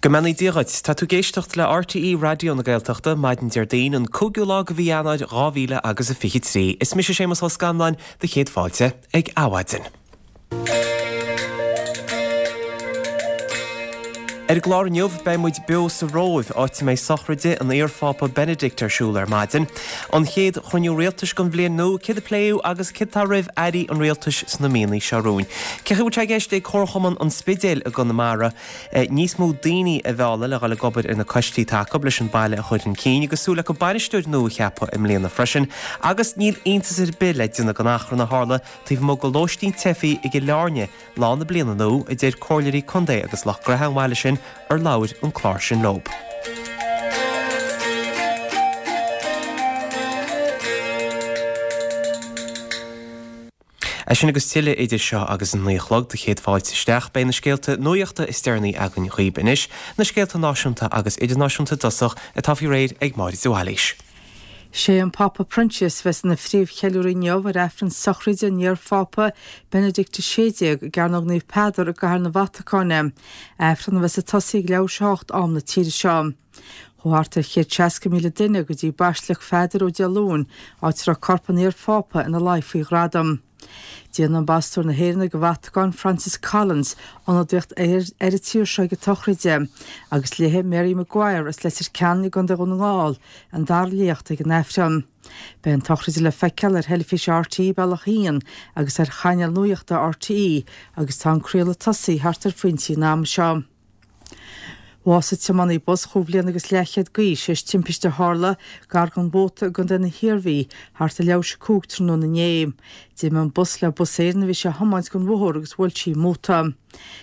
Go mbeannaí Dia dhuit. Tá tú ag éisteacht le RTÉ Raidió na Gaeltachta, maidin Déardaoin, an 5ú lá de mhí Eanáir 2000 agus a 23. Is mise Séamus Ó Scanláin, do chéad fáilte ag Adhmhaidin. Ar an gclár inniu, beidh muid beo sa Róimh, áit a mbeidh sochraide an iar-Phápa Benedict ar siúl ar maidin. An chéad chruinniú rialtais den bhliain nua, céard a pléadh agus céard atá roimh airí an rialtais sna míonna seo romhainn. Cén chaoi a bhfuil sé i gceist ag Comharchumann an Spidéil i gConamara níos mó daoine a mhealladh le dhul ag obair ar na coistí atá acu leis an baile a chur chun cinn agus súil acu bainisteoir nua a cheapadh i mbliana freisin agus níl iontas ar bith le déanamh den achrann a tharla taobh amuigh de lóistín teifigh i gCill Airne lá na bliana nua, a deir comhairleoirí contae agus lucht gnoithe an bhaile sin ar labhair an clár sin leo. É sin agus tuilleadh idir seo agus an 9 a chlog do chéad fáilte isteach. Beidh na scéalta nuachta is deireanaí againn dhaoib anois, na scéalta náisiúnta agus idirnáisiúnta i dtosach, atá faoi réir ag Máire de Bhailís. Sé an Pápa Proinsias a bheas ina phríomhcheiliúraí inniu ar Aifreann sochraide an iar-Phápa Benedict XVI i gCearnóg Naomh Peadar i gCathair na Vatacáine, Aifreann a bheas ag tosaí ag leathuair tar éis a 8 am na tíre seo. Chuaigh thart ar 160,000 duine go dtí Baisleac Pheadair ó Dé Luain, áit a raibh corp an iar-Phápa ina luí faoi ghradam. Déanfaidh Ambasadóir na hÉireann ag an Vatacáin, Francis Collins, ionadaíocht ar an tír seo ag an tsochraid, agus léifidh Mary Maguire as Leitir Ceanainn i gContae Dhún na nGall an dara léacht ag an Aifreann. Beidh an tsochraid le feiceáil ar theilifís RTÉ Bealach 1 agus ar chainéal nuachta RTÉ agus tá an craoladh tosaithe thart ar phointí an ama seo. Bhásaigh tiománaí bus chúig bhliana agus leathchéad d'aois théis timpiste a tharla gar don Mhóta i gContae na hIarmhí thart ar leathuair tar éis a 5 tráthnóna inné. D'imigh an bus le Bus Éireann a bhí sé a thiomáint den bhóthar agus bhuail sí móta.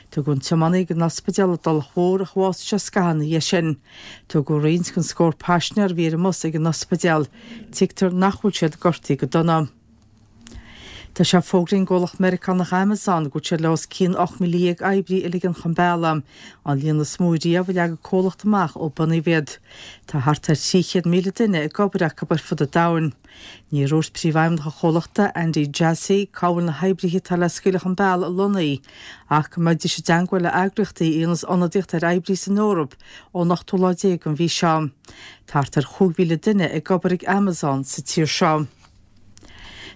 Tugadh an tiománaí ag an ospidéal i dTulach Mhór ach bhásaigh sé scaitheamh ina dhiaidh sin. Tugadh roinnt den scór paisinéir a bhí ar an mbus ag an ospidéal. Tuigtear nach bhfuil siad gortaithe go dona. Tá sé fógraithe ag an gcomhlacht Meiriceánach Amazon go bhfuil siad le os cionn 18,000 oibrí a ligean chun bealaigh, an líon is mó riamh a leag an comhlacht amach ó bunaíodh iad. Tá thart ar 300,000 duine ag obair acu ar fud an domhain. Níor dhúirt príomhfheidhmeannach an chomhlachta, Andy Jassy, cá bhfuil na hoibrithe atá le scaoileadh chun bealaigh lonnaithe, ach go mbeidís i dteangmháil le eagraíochtaí a dhéananns ionadaíocht ar oibrithe san Eoraip ón ochtú lá déag den mhí seo. Tá thart ar 5,000 duine ag obair ag Amazon sa tír seo.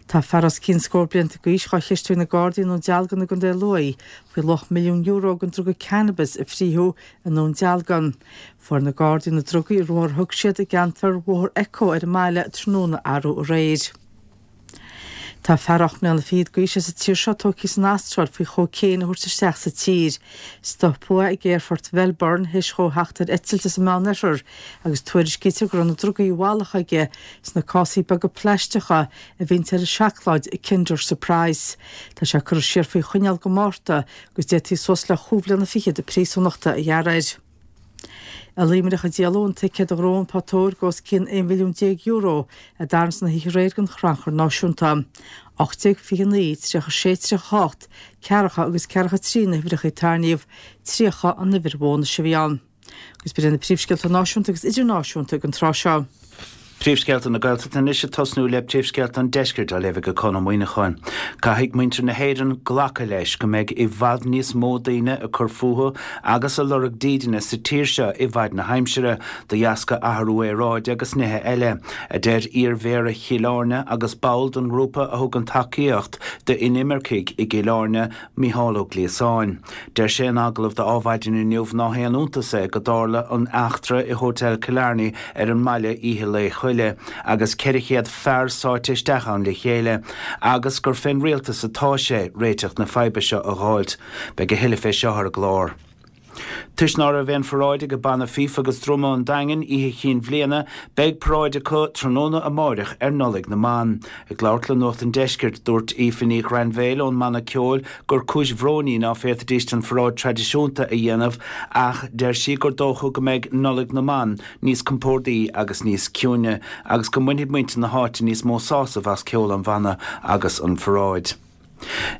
Tá fear os cionn scór blianta d'aois dhá cheistiú ag na Gardaí i nDún Dealgan i gContae Lú faoi luach €1,000,000 den druga cannabis a frítheadh i nDún Dealgan. Fuair na Gardaí na drugaí i ruathar a thug siad i gceantar Bhóthar Echo ar an mbaile tráthnóna arú aréir. Tá fear 8 mbliana fichead d'aois as an tír seo tógtha san Astráil faoi chócaon a thabhairt isteach sa tír. Stopadh é ag aerfort Mhelbourne théis dhó theacht ar eitilt as an Meánoirthear agus tuairiscítear go raibh na drugaí i bhfalach aige sna cásaí beaga plaisteacha a bhíonns ar an seacláid Kinder Surprise. Tá sé curtha siar faoi choinneáil go Márta agus d'fhéadfaí suas le chúig bhliana fichead príosúnachta a ghearradh air. I Luimneach a díoladh an ticéad do ghnó an photóir go os cionn €11 mhilliún a dtarraingt san oíche aréir don Chrannchur Náisiúnta. 1829, 36, 38, ceathracha agus ceathracha 3 na huimhreacha a tarraingíodh, 30 an uimhir bhónais a bhí ann. Agus b'in iad na príomhscéalta náisiúnta agus idirnáisiúnta ag an tráth seo. Príomhscéalta na Gaeltachta anois ag tosnú le príomhscéalta an Deiscirt á léamh ag Conn Ó Muíneacháin. Caithfidh muintir na hÉireann glacadh leis go mbeidh i bhfad níos mó daoine ag cur fúthu agus ag lorg dídine sa tír seo i bhfaid na haimsire, de dheasca athrú aeráide agus nithe eile, a deir iar-mhéara Chill Airne agus ball den ngrúpa a thugann tacaíocht d'inimircigh i gCill Airne, Mícheál Ó Gliasáin. Deir sé in agallamh do Adhmhaidin inniu ná haon iontas é go dtarla an eachtra i Hotel Killarney ar an mbaile oíche Lae Coille agus 400 fear sáite isteach ann le chéile agus gur fén rialtas atá sé réiteach na faidhbe seo a dh'fháilt. Beidh a thuilleadh fé seo ar an gclár. Toisc ná raibh aon pharáid ag Banna Fífe agus Druma an Daingin oíche Chinn Bhliana, beidh paráid acu tráthnóna amáireach ar Nollaig na mBan. Ag labhairt le Nuacht an Deiscirt, dúirt Aoife Ní Ghrainbhéil ón mbanna ceoil gur cúis bhróin í ná féadfaidíst an pharáid traidisiúnta a dhéanamh ach deir sí gur dócha go mbeidh Nollaig na mBan níos compórdaí agus níos ciúine agus go mbainfidh muintir na háite níos mó sásamh as ceol an bhanna agus an pharáid.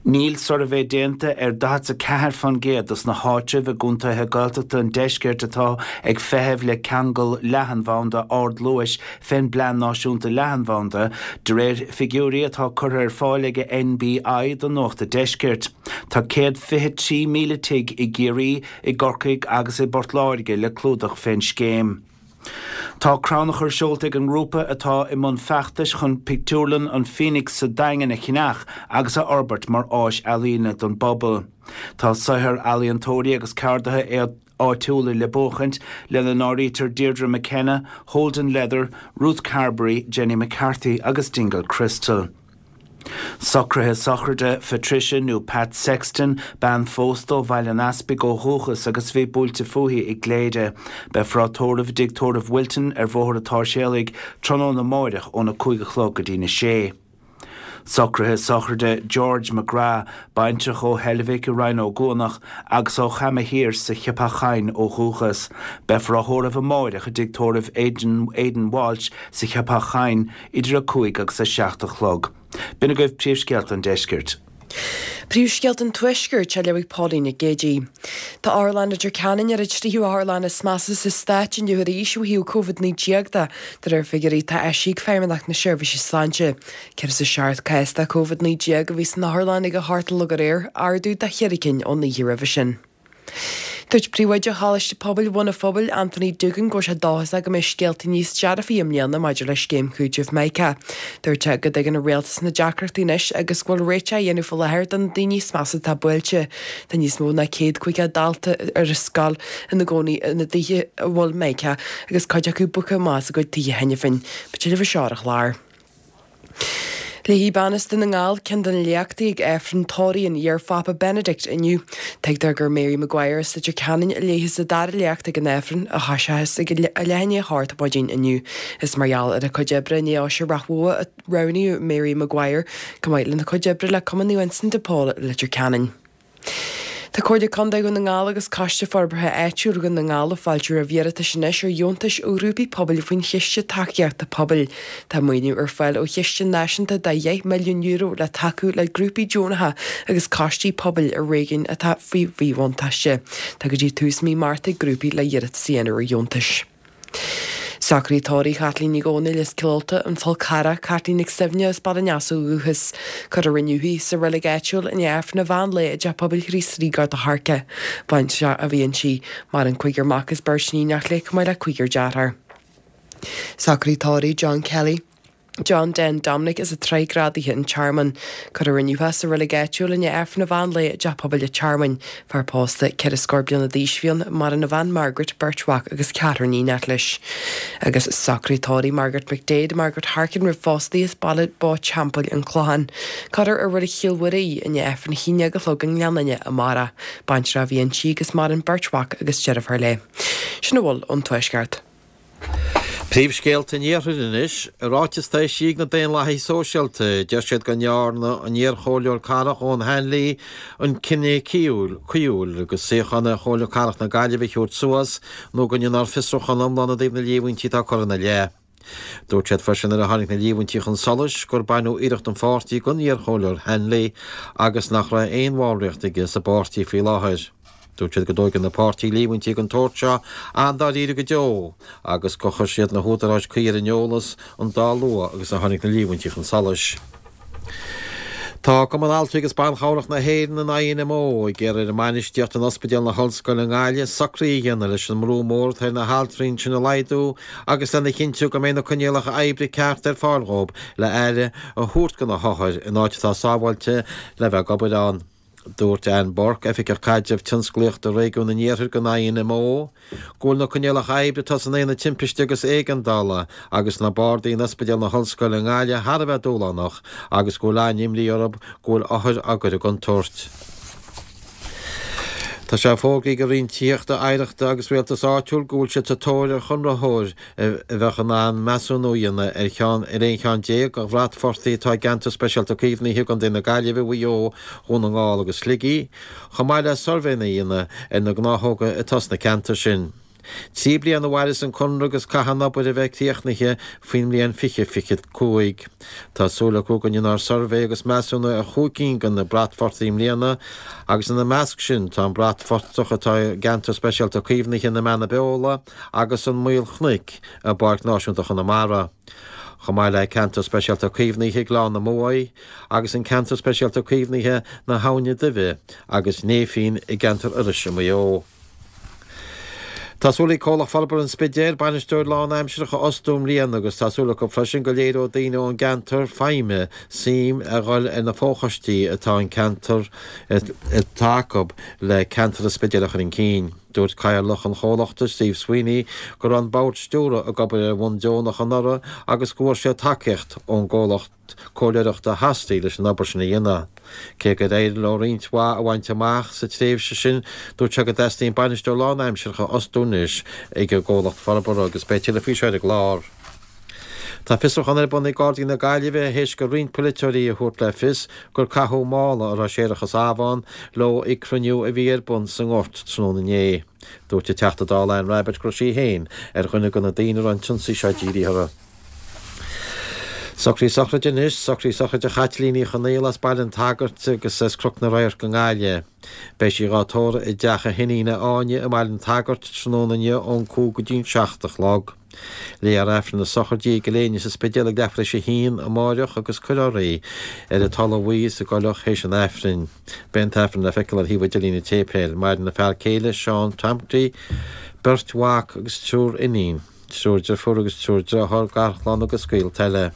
Níl suirbhé déanta ar 44% dos na háitribh i gcontaetha Gaeltachta an deiscirt atá ag feitheamh le ceangal leathanbhanda ardluais fén bPlean Náisiúnta Leathanbhanda, de réir figiúirí atá curtha ar fáil ag NBI do Nuacht a' Deiscirt. Tá 123,000 tigh i gCiarraí, i gCorcaigh agus i bPort Láirge le clúdach fén scéim. Tá crannchur seolta ag an ngrúpa atá i mbun feachtais chun pictiúrlann an Phoenix sa Daingean a cheannach agus a fhorbairt mar áis ealaíne don bpobal. Tá saothar ealaíontóirí agus ceardaithe áitiúla le buachaint, lena n-áirítear Deirdre McKenna, Holden Leather, Ruth Carberry, Jenny McCarthy agus Dingle Crystal. Socruithe sochraide Phatricia nó Pat Sexton, bean phósta ó Bhaile an Easpaig ó dhúchas agus a bhí buailte fúithi i gCléire. Beifear á tórramh i dTigh Tórraimh Wilton ar Bhóthar an tSáirséalaigh tráthnóna amáireach óna 5 a chlog go dtína sé. Socruithe sochraide George McGrath, baintreach ó Heilbhic i Rinn Ó gCuanach agus ó Chamadh Thiar sa Cheapach Choinn ó dhúchas. Beifear á thórramh amáireach i dTigh Tórraimh Aidan Walsh sa Cheapach Choinn idir 5 agus 7 a chlog. B'in agaibh príomhscéalta an deiscirt. Príomhscéalta an Tuaiscirt á léamh ag Pauline Nic Géadaigh. Tá Otharlann Leitir Ceanainn ar an tríú otharlann is measa sa stát inniu arís ó thaobh Covid-19 de, de réir figiúirí atá eisithe ag Feidhmeannacht na Seirbhíse Sláinte. 107 cás de Covid-19 a bhí san otharlann ag a hocht a chlog aréir, ardú de cheithre cinn ón oíche roimhe sin. Dúirt Príomhoide Choláiste Pobail Bhun an Phobail, Anthony Doogan, go bhfuil sé dóchasach go mbeidh scéalta níos dearfaí i mbliana maidir le scéim chúitimh Mica. Dúirt sé go dtuigeann an rialtas na deacrachtaí anois agus go bhfuil réiteach á dhéanamh faoi láthair do na daoine is measa atá buailte. Tá níos mó ná 150 dalta ar an scoil ina gcónaí ina dtithe a bhfuil Mica agus cuid acu bogtha amach as a gcuid tithe cheana féin. Beidh tuilleadh faoi seo ar an chlár. Léifidh bean as Dún na nGall ceann de na léachtaí ag Aifreann tórraimh an iar-Phápa Benedict inniu. Tuigtear gur Mary Maguire as Leitir Ceanainn a léifeas an dara léacht ag an Aifreann, a thoiseochas ag a leath i ndiaidh a hocht ar maidin inniu. Is mar gheall ar a cuid oibre i nDeoise Ráth Bhoth a roghnaíodh Mary Maguire, chomh maith lena cuid oibre le Cumann Naomh Uinseann de Pól i Leitir Ceanainn. Tá Comhairle Contae Dhún na nGall agus Coiste Forbartha Áitiúil Dhún na nGall ag fáiltiú roimh iarratais anois ar dheontais ó ghrúpaí pobail faoin Chiste Tacaíochta Pobail. Tá maoiniú ar fáil ó chiste náisiúnta de €10 milliún le tacú le grúpaí deonacha agus coistí pobail i réigiúin atá faoi mhíbhuntáiste. Tá go dtí tús mí Márta ag grúpaí le hiarratas a dhéanamh ar dheontais. Socruithe tórraimh Chaitlín Nic Dhomhnaill as Cill Ulta, An Fál Carrach, Caitlín Nic Suibhne as Baile an Easa ó dhúchas. Cuirfear inniu í sa reilig áitiúil i ndiaidh Aifreann an mheán lae i dTeach Pobail Chríost Rí Gort a' Choirce. Baintreach a bhí inti. Maireann cúigear mac is beirt níonach léi chomh maith le cúigear dearthár. Socruithe tórraimh John Kelly. John Den Dominic as an tSraith Grádaithe An Tearmann. Cuirfear inniu é sa reilig áitiúil i ndiaidh Aifreann an mheán lae i dTeach Pobail an Tearmainn. Fear pósta, ceithre scór bliana d'aois a bhí ann, maireann a bhean Margaret, beirt mhac agus ceathrar níonach leis. Agus socruithe tórraimh Margaret McDaid, Margaret Harkin roimh phósadh di as Baile Bó Teampaill, An Clochán. Cuirfear i Reilig Chill Mhuire í i ndiaidh Aifreann a haon déag a chlog i nGleann Fhinne amárach. Baintreach a bhí inti agus maireann beirt mhac agus deirfiúr léi. Sin a bhfuil ón Tuaisceart. Príomhscéalta an Iarthair anois. I ráiteas atá eisithe ag na Daonlathaithe Sóisialta, deir siad go ndearna an iar-chomhairleoir cathrach Eoghan Hanley an cinneadh cuíúil agus suíochán ar Chomhairle Cathrach na Gaillimhe a thabhairt suas nó go ndéanfar fiosrúchán iomlán i dtaobh na líomhaintí atá curtha ina leith. Dúirt siad freisin nuair a tháinig na líomhaintí chun solais gur baineadh iarracht an pháirtí den iar-chomhairleoir Hanley agus nach raibh aon bhallraíocht aige sa bpáirtí faoi láthair. Dúirt siad go dtóigeann an páirtí líomhaintí den tsórt seo an-dáiríre go deo agus gur chuir siad na húdaráis cuí ar an eolas an dá luath agus a tháinig na líomhaintí chun solais. Tá Cumann Altraí agus Ban Chabhrach na hÉireann, an INMO, ag iarraidh ar an mbainistíocht in Ospidéal na hOllscoile i nGaillimh socruithe a dhéanamh leis an mbrú mór atá ar na haltraí ansin a laghdú agus lena chinntiú go mbeidh na coinníollacha oibre cearta ar fáil dhóibh le aire a thabhairt do na hothair in áit atá sábháilte le bheith ag obair ann. Dúirt Anne Burke, Oifigeach Caidrimh Tionsclaíochta Réigiún an Iarthair don INMO, go bhfuil na coinníollacha oibre atá san Aonad Timpiste agus Éigeandála agus sna bardaí in Ospidéal na hOllscoile i nGaillimh thar a bheith dúshlánach agus go bhfuil an-imní orthu go bhfuil othair á gcur i gcontúirt. Tá sé fógraithe ag an Roinn Tithíochta, Oidhreachta agus Rialtais Áitiúil go bhfuil siad sa tóir ar chonraitheoir a bheadh in ann measúnú a dhéanamh ar cheann ar 11 cheann de bhratphortaigh atá i gCeantar Speisialta Caomhnaithe i gContae na Gaillimhe, Mhaigh Eo, Dhún na nGall agus Shligigh, chomh maith le suirbhéanna a dhéanamh ar na gnáthóga atá sna ceantair sin. 3 bliana a mhairfeas an conradh agus caithfidh an obair a bheith críochnaithe faoin mbliain 2025. Tá súil acu go ndéanfar suirbhé agus measúnú ar chúig cinn de na bratphortaigh i mbliana agus ina measc sin tá an bratphortach atá i gCeantar Speisialta Caomhnaithe na Beanna Beola agus an Maol Chnoic i bPáirc Náisiúnta Chonamara. Chomh maith le Ceantar Speisialta Caomhnaithe Ghleann na Muaidhe agus an Ceantar Speisialta Caomhnaithe na hAbhna Duibhe agus Néifinn i gceantar Iorrais i Maigh Eo. Tá súil ag Comhlacht Forbartha an Spidéil bainisteoir lánaimsearach a fhostú i mbliana agus tá súil acu freisin go léireoidh daoine ón gceantar feidhme suim a dhul ar na fochoistí atá an ceantar atá acu le ceantar an Spidéil a chur chun cinn. Dúirt Cathaoirleach an chomhlachta, Steve Sweeney, go raibh an bord stiúrtha ag obair ar bhonn deonach anuraidh agus go bhfuair siad tacaíocht ón gcomhlacht comhairleoireachta Hostí leis an obair sin a dhéanamh. Cé gur éirigh leo roinnt mhaith a bhaint amach sa tréimhse sin, dúirt sé go dteastaíonn bainisteoir lánaimsearach a fhostú anois ag an gcomhlacht forbartha agus beidh tuilleadh faoi seo ar an gclár. Tá fiosrúchán ar bun ag Gardaí na Gaillimhe théis do roinnt polaiteoirí a thabhairt le fios gur caitheadh mála a raibh séarachas amh ann leo ag cruinniú a bhí ar bun sa nGort tráthnóna inné. Dúirt an Teachta Dála Anne Rabbitte go raibh sí féin ar dhuine de na daoine a raibh an t-ionsaí seo dírithe orthu. Socruithe sochraide anois, socruithe sochraide Chaitlín Uí Chonaola as Baile an tSagairt agus as Cnoc na Radharc i nGaillimh. Beidh sí dhá tórramh i dteach a hiníne Áine i mBaile an tSagairt tráthnóna inniu ón 5 go dtí'n 7 a chlog. Léifear Aifreann na sochraide i gCill Éinne sa Spidéal ag leathuair tar éis a haon amáireach agus cuirfear í ar an talamh bhuí sa gcoileach théis an Aifrinn. Beidh an tAifreann le feiceáil ar thaobh idirlín an tséipéil. Maireann a fear céile, Seán Tomty, beirt mhac agus triúr iníon. Triúr deirfiúr agus triúr dearthár, garchlann agus gaolta eile.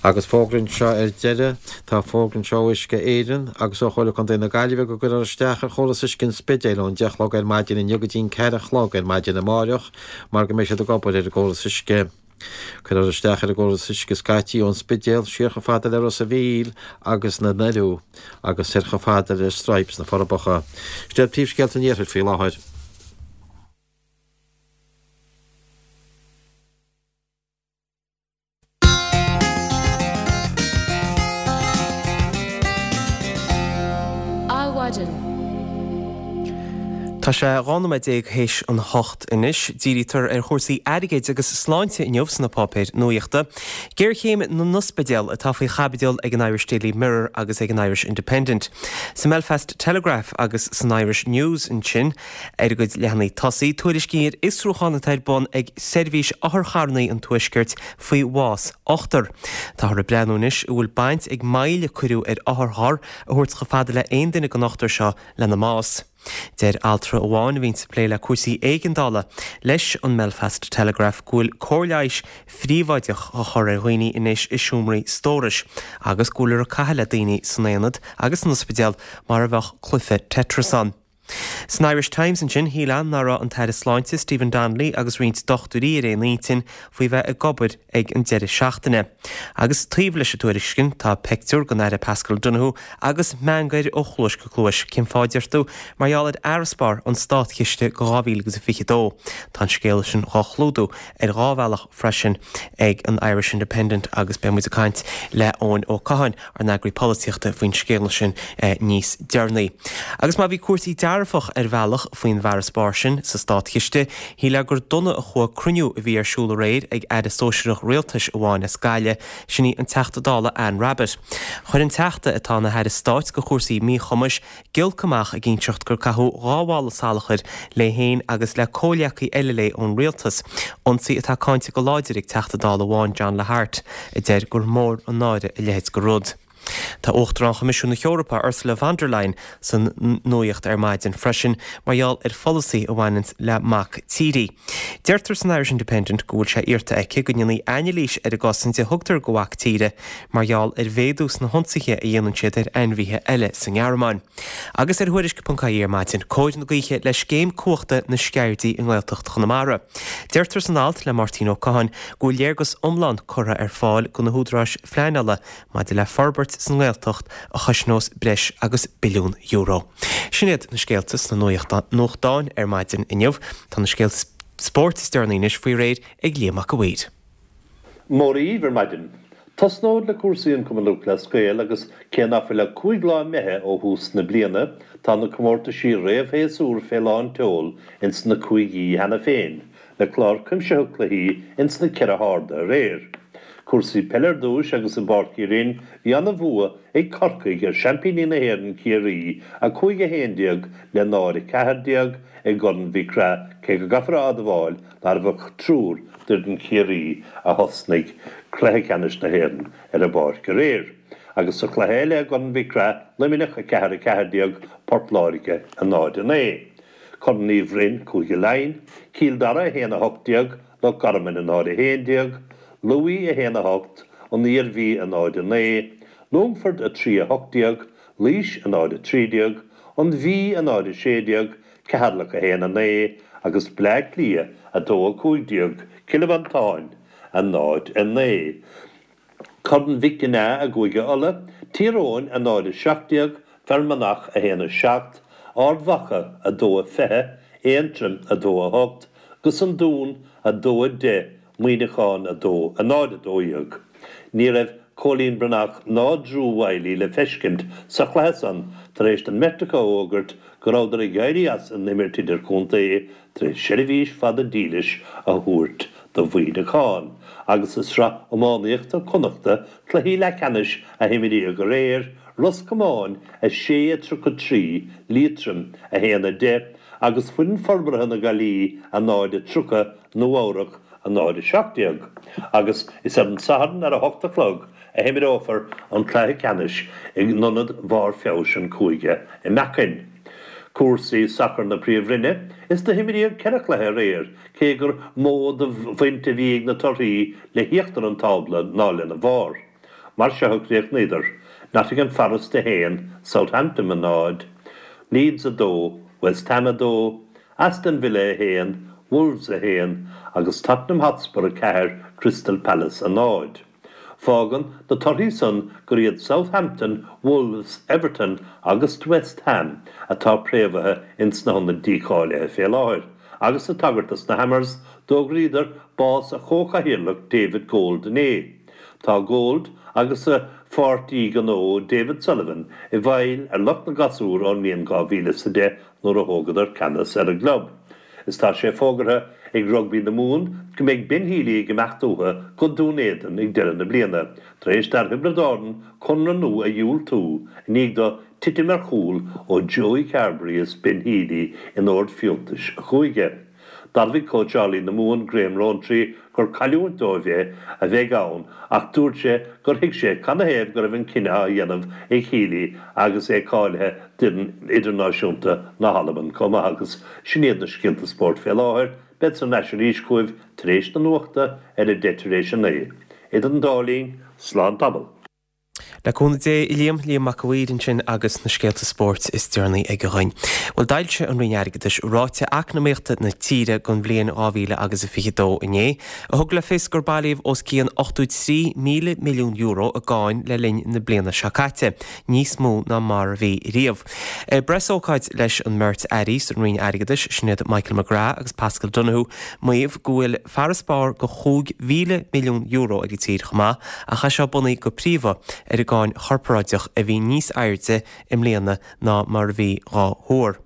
Agus fógra anseo ar deireadh, tá fógra anseo ó Uisce Éireann agus ó Chomhairle Contae na Gaillimhe go gcuirfear isteach ar chóras uisce an Spidéil ón 10 a chlog ar maidin inniu go dtí'n 4 a chlog ar maidin amáireach mar go mbeidh siad ag obair ar an gcóras uisce. Cuirfear isteach ar an gcóras uisce scaití ón Spidéal siar chomh fada le Ros a' Mhíl agus na nDoirí agus soir chomh fada le Stripes na Forbacha. Sin iad príomhscéalta an Iarthair faoi láthair. Adhmhaidin. Tá sé 12 nóiméad théis an hocht anois. Dírítear ar chúrsaí airgid agus sláinte inniu sna páipéir nuachta. Géarchéim na n-ospidéal atá faoi chaibidil ag an Irish Daily Mirror agus ag an Irish Independent. Sa mBelfast Telegraph agus san Irish News ansin, Ar a gcuid leathanaigh tosaigh, tuairiscí ar fhiosrúchán atá ar bun ag Seirbhís Otharcharranna an Tuaiscirt faoi bhás ochtar. Táthar ag breathnú anois an bhfuil baint ag moill a cuireadh ar otharcharr a thabhairt chomh fada le aon duine den ochtar seo lena mbás. Deir altra amháin a bhíonns ag plé le cúrsaí éigeandála leis an mBelfast Telegraph go bhfuil cóir leighis phríobháideach á chur ar dhaoine anois i seomraí stórais agus go bhfuiltear ag caitheamh le daoine san aonad agus san ospidéal mar a bheadh cluiche Tetris ann. San Irish Times ansin, shílfeá nach raibh an tAire Sláinte Stephen Donnelly agus roinnt dochtúirí ar aon intinn faoi bheith ag obair ag an deireadh seachtaine. Agus taobh leis an tuairisc sin tá peictiúr den Aire Paschal Donohoe agus meangadh air ó chluais go cluais. Cén fáth, deir tú? Mar gheall ar fharasbarr an státchiste go 2022. Tá an scéal sin dhá chlúdú ar dhá bhealach freisin ag an Irish Independent agus beidh muid ag caint le Eoin Ó Catháin, ár n-eagraí polaitíochta, faoin scéal sin níos deireanaí. Agus má bhí cúrsaí dearfach ar bhealach faoin bhfarasbarr sin sa státchiste, shílfeá gur dona a chuaigh cruinniú a bhí ar siúl aréir ag aire sóisearach rialtais amháin as Gaillimh, sin í an Teachta Dála Anne Rabbitte. Chuir an Teachta, atá ina haire stáit do chúrsaí míchumais, giolc amach ag inseacht gur caitheadh 2 mhála salachair léi féin agus le comhghleacaí eile léi ón rialtas, ionsaí atá cáinte go láidir ag Teachta Dála amháin, John Lahart, a deir gur mór an náire a leithéid de rud. Tá Uachtarán Choimisiún na hEorpa, Ursula von der Leyen, san nuaíocht ar maidin freisin mar gheall ar pholasaí a bhaineanns le mac tíre. Deirtear san Irish Independent go bhfuil sé iarrta aici go ndéanfaí anailís ar an gcosaint a thugtar do mhac tíre mar gheall ar mhéadú sna hionsaithe a dhéanann siad ar ainmhithe eile sa nGearmáin. Agus ar Thuairisc.ie ar maidin, cóir na gaoithe le scéim cumhachta na Sceirdí i nGaeltacht Chonamara. Deirtear san alt le Máirtín Ó Catháin go bhfuil léargas iomlán curtha ar fáil do na húdaráis phleanála maidir le forbairt sa nGaeltacht a chosnós breis agus billiún euro. Sin iad na scéalta sna nuachtáin ar maidin inniu. Tá na scéalta spóirt is deireanaí anois faoi réir ag Liam Mac a' Mhaoir. Mora dhaoibh ar maidin. Tosnód le cúrsaí an Cumann Lúthchleas Gael agus cé ná fuil ach 5 lá imithe ó thús na bliana, tá na comórtaisí réamh-shéasúr fé lán tseol ins na cúigí cheana féin, le clár cuimsitheach cluichí ins na ceithre harda aréir. Cúrsaí peile ar dtúis agus i bPáirc Uí Rinn bhí ana-bhua ag Corcaigh ar seaimpíní na hÉireann Ciarraí, 5-11 le 0-14, i gCorn Mhic Craith cé go gcaithfear a admháil nárbh ach triúr d'fhoireann Chiarraí a thosnaigh cluiche ceannais na hÉireann ar an bpáirc aréir. Agus sa chluiche eile i gCorn Mhic Craith, Luimneach 4, 14, Port Láirge 0, 9. Corn Uí Bhroin, Cúige Laighean, Cill Dara 1, 18, Loch Garman 0, 11, Lú 1, 8, An Iarmhí 0, 9, Longfort 3, 18, Laois 0, 13, An Mhí 0, 16, Ceatharlach 1, 9 agus Bleá Cliath 2, 15, Cill Mhantáin 0, 9. Corn Mhic Ginneá i gCúige Uladh, Tír Eoghain 0, 17, Fear Manach 1, 7, Ard Mhacha 2, 20, Aontroim 2, 8, agus An Dún 2, 10, Muineachán 2, 0, 12. Ní raibh Cóilín Breathnach ná Drew Wylie le feiscint sa chluiche san tar éis don mbeirt acu a fhógairt go rabhadar ag éirí as an imirt idirchontae tar éis seirbhís fada dílis a thabhairt do Mhuineachán. Agus i Sraith Iománaíochta Connachta, cluichí leathcheannais a himríodh aréir, Ros Comáin 6, 33, Liatroim 1, 10 agus Foireann Forbartha na Gaillimhe 0, 30, Nua-Eabhrac 0, 17 agus is ar an Satharn ar a hocht a chlog a himreofar an cluiche ceannais in Ionad Bharr Feabhais an Chúige i Makin. Cúrsaí sacair na Príomhroinne, is do himríodh ceithre chluiche aréir cé gur mó de bhaint a bhí ag na torthaí le híochtar an tábla ná lena bharr. Mar seo a chríochnaíodar, Nottingham Forest 1, Southampton 0, Leeds 2, West Ham 2, Aston Villa 1, Wolves 1 agus Tottenham Hotspur 4, Crystal Palace 0. Fágann na torthaí san gur iad Southampton, Wolves, Everton agus West Ham atá préamhaithe ins na hionaid dícháilithe fé láthair agus ag tagairt dos na Hammers, d'fhógraíodar bás a chomhchathaoirleach David Gold inné. Tá Gold agus a pháirtí gnó David Sullivan i bhfeighil ar lucht na gasúr ón mbliain 2010 nuair a thógadar ceannas ar an gclub. Is tá sé fógartha ag Rugbaí na Mumhan go mbeidh Ben Healy ag imeacht uathu go Dún Éideann ag deireadh na bliana, tar éis d'fhear Thiobraid Árann conradh nua a dhiúltú i ndiaidh dó titim ar chúl ó Joey Carbery is Ben Healy in ord fiúntais a chúige. D'admhaigh cóitseálaí na Mumhan, Graham Rowntree, gur cailliúint dóibh é a bheidh ann ach dúirt sé gur thuig sé canathaobh go raibh an cinneadh á dhéanamh ag Healy agus é cáilithe d'fhoireann idirnáisiúnta na hAlban chomh maith agus sin iad na scéalta spóirt fé láthair. Bead thar n-ais arís chugaibh tar éis na nuachta ar a deich tar éis a naoi. Idir an dá linn, slán tamall. Le cúnamh Dé, a Liam, Liam Mac a' Mhaoir ansin agus na scéalta spóirt is deireanaí aige dhuinn. Bhuel, d'fhoilsigh an Roinn Airgeadais ráiteas eacnamaíochta na tíre don bhliain 2000 agus a 22 inné, a thug le fios gur bailíodh os cionn €83,000 milliún i gcáin le linn na bliana seo caite, níos mó ná mar a bhí riamh. Ag preasócáid leis an mbeirt airí san Roinn Airgeadais, sin iad Michael McGrath agus Paschal Donohoe, maíodh go bhfuil farasbarr de €5,000 milliún ag an tír chomh maith, ach é seo bunaithe go príomha ar an gcáin chorparáideach a bhí níos airde i mbliana ná mar a bhí dhá thuar.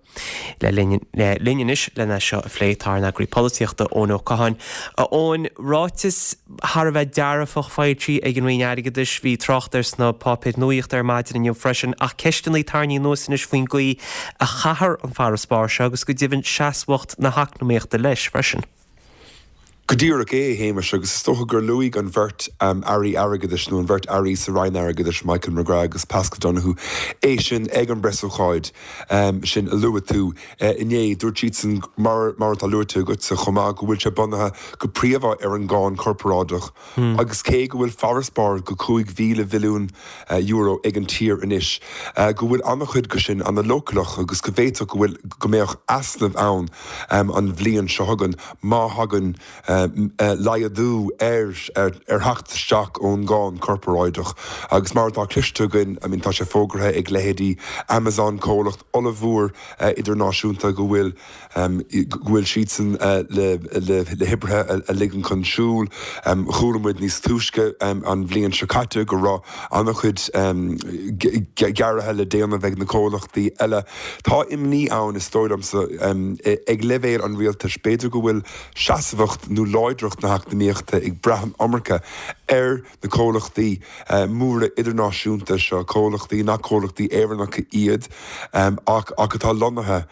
Le linn linn anois lena seo a phlé tá ár n-eagraí polaitíochta Eoin Ó Catháin. A Eoin, ráiteas thar a bheith dearfach foilsithe ag an Roinn Airgeadais, bhí trácht air sna páipéir nuaíochta ar maidin inniu freisin, ach ceisteanna tarraingthe anuas anois faoin gcaoi a chaithfear an farasbarr seo agus go deimhin seasmhacht na heacnamaíochta leis freisin. Go díreach é, a Shéamais, agus is dócha gur luaigh an bheirt Airí Airgeadais, nó an bheirt Airí sa Roinn Airgeadais, Michael McGrath agus Paschal Donohoe, é sin ag an bpreasócáid sin a luaigh tú inné. Dúirt siadsan, mar atá luaite agatsa chomh maith, go bhfuil sé bunaithe go príomha ar an gcáin chorparáideach agus cé go bhfuil farasbarr go €5,000 mhilliún ag an tír anois, go bhfuil an-chuid de sin an-leochaileach agus go bhféadfadh go bhfuil, go mbeadh easnamh ann an bhliain seo chugainn má thagann. laghdú ar ar theacht isteach ón gcáin chorparáideach agus mar atá cloiste againn, I mean tá sé fógartha ag leithéidí Amazon, comhlacht ollmhór idirnáisiúnta go bhfuil go bhfuil siadsan le le hoibrithe a ligean chun siúil. Chuala muid níos túisce an bhliain seo caite go raibh an-chuid gearraithe le déanamh ag na comhlachtaí eile. Tá imní ann, is dóigh liomsa, ag leibhéal an rialtais, b'fhéidir go bhfuil seasmhacht nó láidreacht na heacnamaíochta ag brath an iomarca ar na comhlachtaí móra idirnáisiúnta seo, comhlachtaí nach comhlachtaí Éireannacha iad ach atá lonnaithe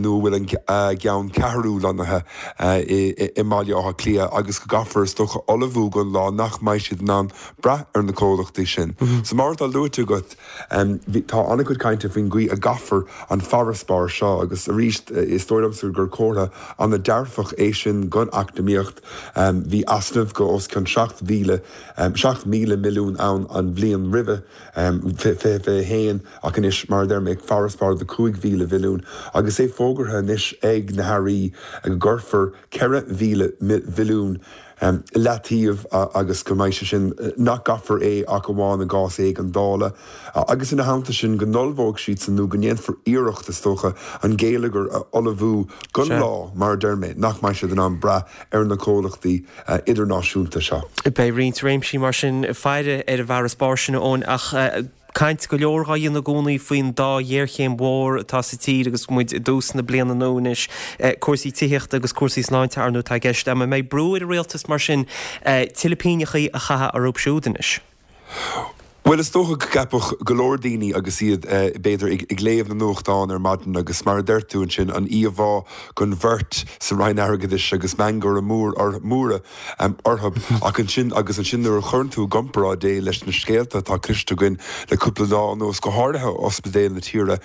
nó a bhfuil a gceanncheathrú lonnaithe i mBaile Átha Cliath agus go gcaithfear, is dócha, ullmhú don lá nach mbeidh siad in ann brath ar na comhlachtaí sin. So mar atá luaite agat, Tá an-chuid cainte faoin gcaoi a gcaithfear an farasbarr seo agus arís is dóigh liomsa gur comhartha an-dearfach é sin don eacnamaíocht. Bhí easnamh go os cionn 7,000, 7,000 milliún ann an bhliain roimhe, 2021, ach anois, mar a deir mé, farasbarr de 5,000 mhilliún agus é fógartha anois ag na hairí go gcuirfear 4,000 mhilliún i leataobh agus go mbeidh sé sin, nach gcaithfear é ach amháin i gcás éigeandála, agus ina theannta sin go n-ullmhóidh siadsan nó go ndéanfar iarracht, is dócha, an geilleagar a ullmhú don lá, mar a deir mé, nach mbeidh siad in ann brath ar na comhlachtaí idirnáisiúnta seo. Beidh roinnt réimsí mar sin faire ar an bhfarasbarr sin, a Eoin, ach. Caint go leor dhá dhéanamh i gcónaí faoin dá ghéarchéim mhór atá sa tír agus muid i dtús na bliana nua anois, cúrsaí tithíochta agus cúrsaí sláinte, ar ndóigh, atá i gceist. An mbeidh brú ar an rialtas mar sin tuilleadh pingneachaí a chaitheamh orthu siúd anois? Bhuel, is dócha go gceapfadh go leor daoine agus iad, b'fhéidir, ag léamh na nuachtán ar maidin agus mar a deir tú ansin, an íomhá den bheirt sa Roinn Airgeadais agus mangaire mór móra orthu. Ach ansin, agus ansin nuair a chuireann tú i gcomparáid é leis na scéalta atá cloiste againn le cúpla lá anuas, go háirithe ó ospidéil na tíre,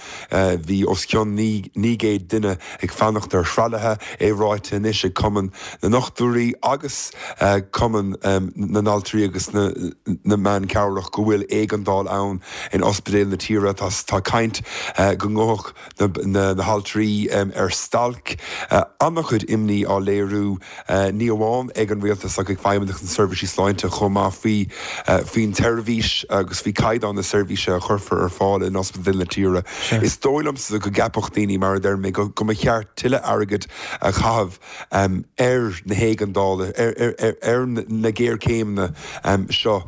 bhí os cionn 900 duine ag fanacht ar thralaithe, é ráite anois ag Cumann na nDochtúirí agus Cumann na nAltraí agus na mBan Cabhrach go bhfuil éigeandáil ann in ospidéil na tíre. Tá caint go ngabhfadh na haltraí ar stailc. An-chuid imní á léiriú, ní amháin ag an rialtas ach ag Feidhmeannacht na Seirbhísí Sláinte chomh maith, faoi faoin tseirbhís agus faoi chaighdeán na seirbhíse a chuirfear ar fáil in ospidéil na tíre. Is dóigh liomsa go gceapfadh daoine, mar a deir mé, go mba cheart tuilleadh airgid a chaitheamh ar na héigeandála, ar na géarchéimeanna seo,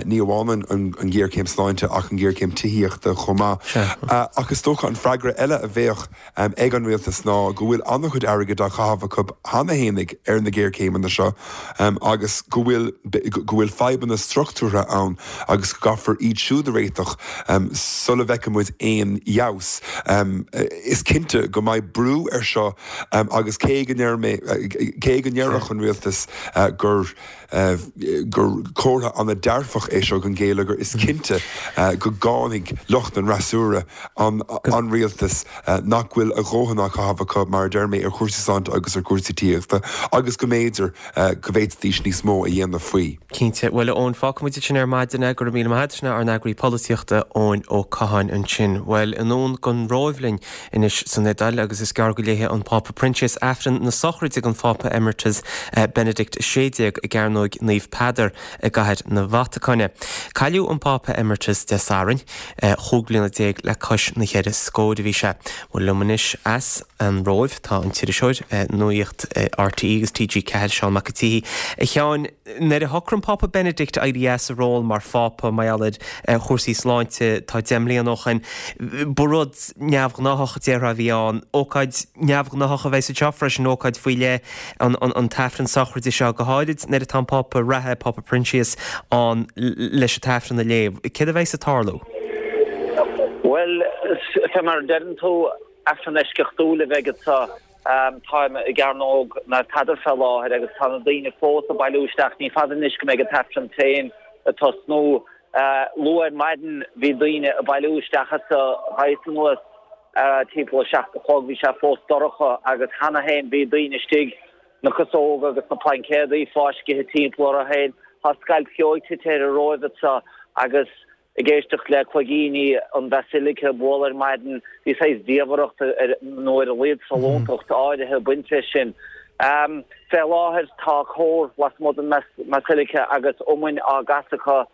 ní amháin an ghéarchéim sláinte ach an ghéarchéim tithíochta chomh maith. Ach is dócha an freagra eile a bheadh ag an rialtas ná go bhfuil an-chuid airgid á chaitheamh acu cheana fhéinig ar na géarchéimeanna seo agus go bhfuil go bhfuil fadhbanna struchtúrtha ann agus go gcaithfear iad siúd a réiteach sula bhfeicfidh muid aon fheabhas. Is cinnte go mbeidh brú air seo Agus cé go ndeir mé, cé go ndéarfadh an rialtas gur gur comhartha an-dearfach é seo don gheilleagar, is cinnte go gcáinfidh lucht an fhreasúra an an rialtas nach bhfuil a dhóthain á chaitheamh acu, mar a deir mé, ar chúrsaí sláinte agus ar chúrsaí tithíochta agus go mb'fhéidir go bhféadfaidís níos mó a dhéanamh faoi. Cinnte. Bhuel, a Eoin, fágfaidh muid ansin ar maidin é. Go raibh míle maith agat. Sin ár n-eagraí polaitíochta, Eoin Ó Catháin ansin. Bhuel, anonn don Róimh linn anois san Iodáil agus is gearr go léifidh an Pápa Proinsias Aifreann na sochraide don Phápa Emeritus Benedict 16 i gCearnóig Naomh Peadar i gCathair na Vatacáine. Cailleadh an Pápa Emeritus Dé Sathairn, chúig bliana déag le cois na cheithre scóir a bhí sé. Bhuel, liom anois as an Róimh tá an t-iriseoir Nuacht RTÉ agus TG4, Seán Mac an tSíthigh. A Sheáin, Nuair a shocraigh an Pápa Benedict éirí as a ról mar Phápa mar gheall ar chúrsaí sláinte tá 10 mbliana ó shin, ba rud neamhghnáthach, déarfá, a bhí ann. Ócáid neamhghnáthach a bheas anseo freisin, ócáid faoi leith, an t-aifreann sochraide seo, go háirid nuair atá an Pápa reatha, Pápa Proinsias, ann leis an t-aifreann a léamh. Céard a bheas ag tarlú? Bhuel, fé mar a deireann tú, aifreann eisceachtúil a bheidh anseo. Táim i gCearnóg Naomh Peadar fé láthair agus tá na daoine fós ag bailiú isteach. Ní fada anois go mbeidh an t-aifreann féin ag tosnú. Luath ar maidin bhí daoine ag bailiú isteach anso. Ghabhas anuas timpeall a 7 a chlog, bhí sé fós dorcha agus cheana féin bhí daoine istigh, na casóga agus na plaincéadaí fáiscithe timpeall orthu féin. Tá scailp cheoigh tite ar an Róimh anso agus Ag éisteacht le cloigíní an Bhasilica ag bualadh ar maidin, bhí saghas diamhaireacht, nó ar a laghad sollúntacht áirithe ag baint leis sin. Fé láthair tá cór lasmuigh den mBasilica agus iomainn á gcasadh acu.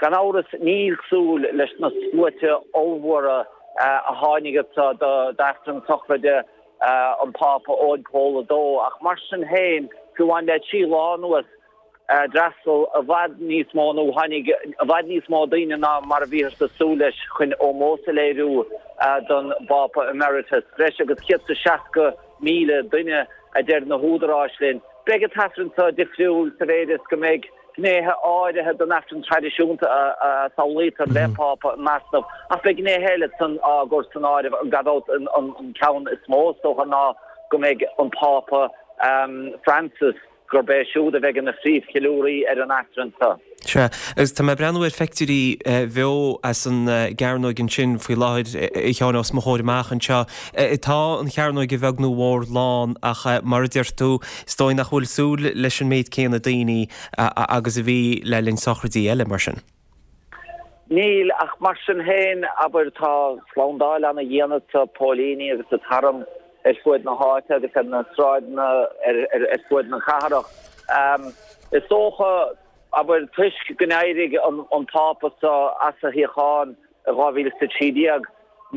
Gan amhras níl cosúil leis na sluaite ollmhóra a tháinig anso d'Aifreann sochraide an Phápa Eoin Pól 2 ach mar sin féin, fiú amháin le 3 lá anuas, d'fhreastail i bhfad níos mó nó tháinig i bhfad níos mó daoine ná mar a bhíothas ag súil leis chun ómós a léiriú don bPápa Emeritus. Breis agus 160,000 duine a deir na húdaráis linn. Beidh an t-aifreann seo difriúil sa mhéid is go mbeidh gnéithe áirithe den aifreann traidisiúnta a samhlaítear le Pápa in easnamh ach beidh gnéithe eile san á gcur san áireamh gan dabht an ceann is mó is dócha ná go mbeidh an Pápa Francis gurb é siúd a bheidh ina phríomhcheiliúraí ar an Aifreann seo. Sea, agus tá mé ag breathnú ar pheictiúirí bheo as an gcearnóig ansin faoi láthair, a Sheáin, os mo chomhair amach anseo. Tá an chearnóig a bheag nó a mhór lán ach mar a deir tú, is dóigh nach bhfuil súil leis an méid céanna daoine agus a bhí le linn sochraidí eile mar sin. Níl, ach mar sin féin, abair, tá slándáil ana-dhian anso, póilíní agus an t-arm ar fuaid na háite agus ar na sráideanna ar fuaid na cathrach. Is dócha, abair, toisc go n-éirigh an Pápa seo as a shuíochán i 2013,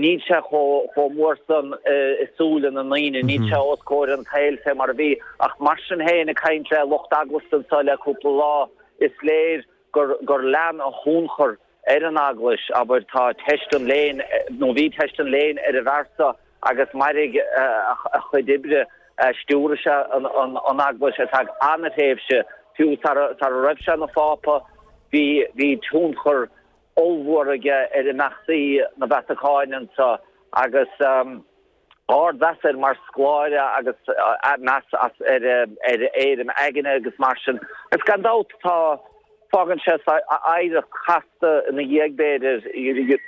níl sé chomh mór san i súile na ndaoine, níl sé os comhair an tsaoil fé mar a bhí. Ach mar sin féin, ag caint le lucht eaglasta anso le cúpla lá, is léir gur gur lean a thionchar ar an Eaglais, abair, tá teist an léinn, nó bhí teist an léinn ar an bhfear seo agus mairfidh a chuid oibre, stiúraigh sé an Eaglais ar feadh an-thréimhse, fiú sara raibh sé ina Phápa, bhí bhí tionchar ollmhór aige ar imeachtaí na Vatacáine anseo agus. ardmheas air mar scoláire agus meas ar a éirim aigne agus mar sin. Agus gan dabht tá, fágann sé oidhreacht chasta ina dhiaidh b'fhéidir,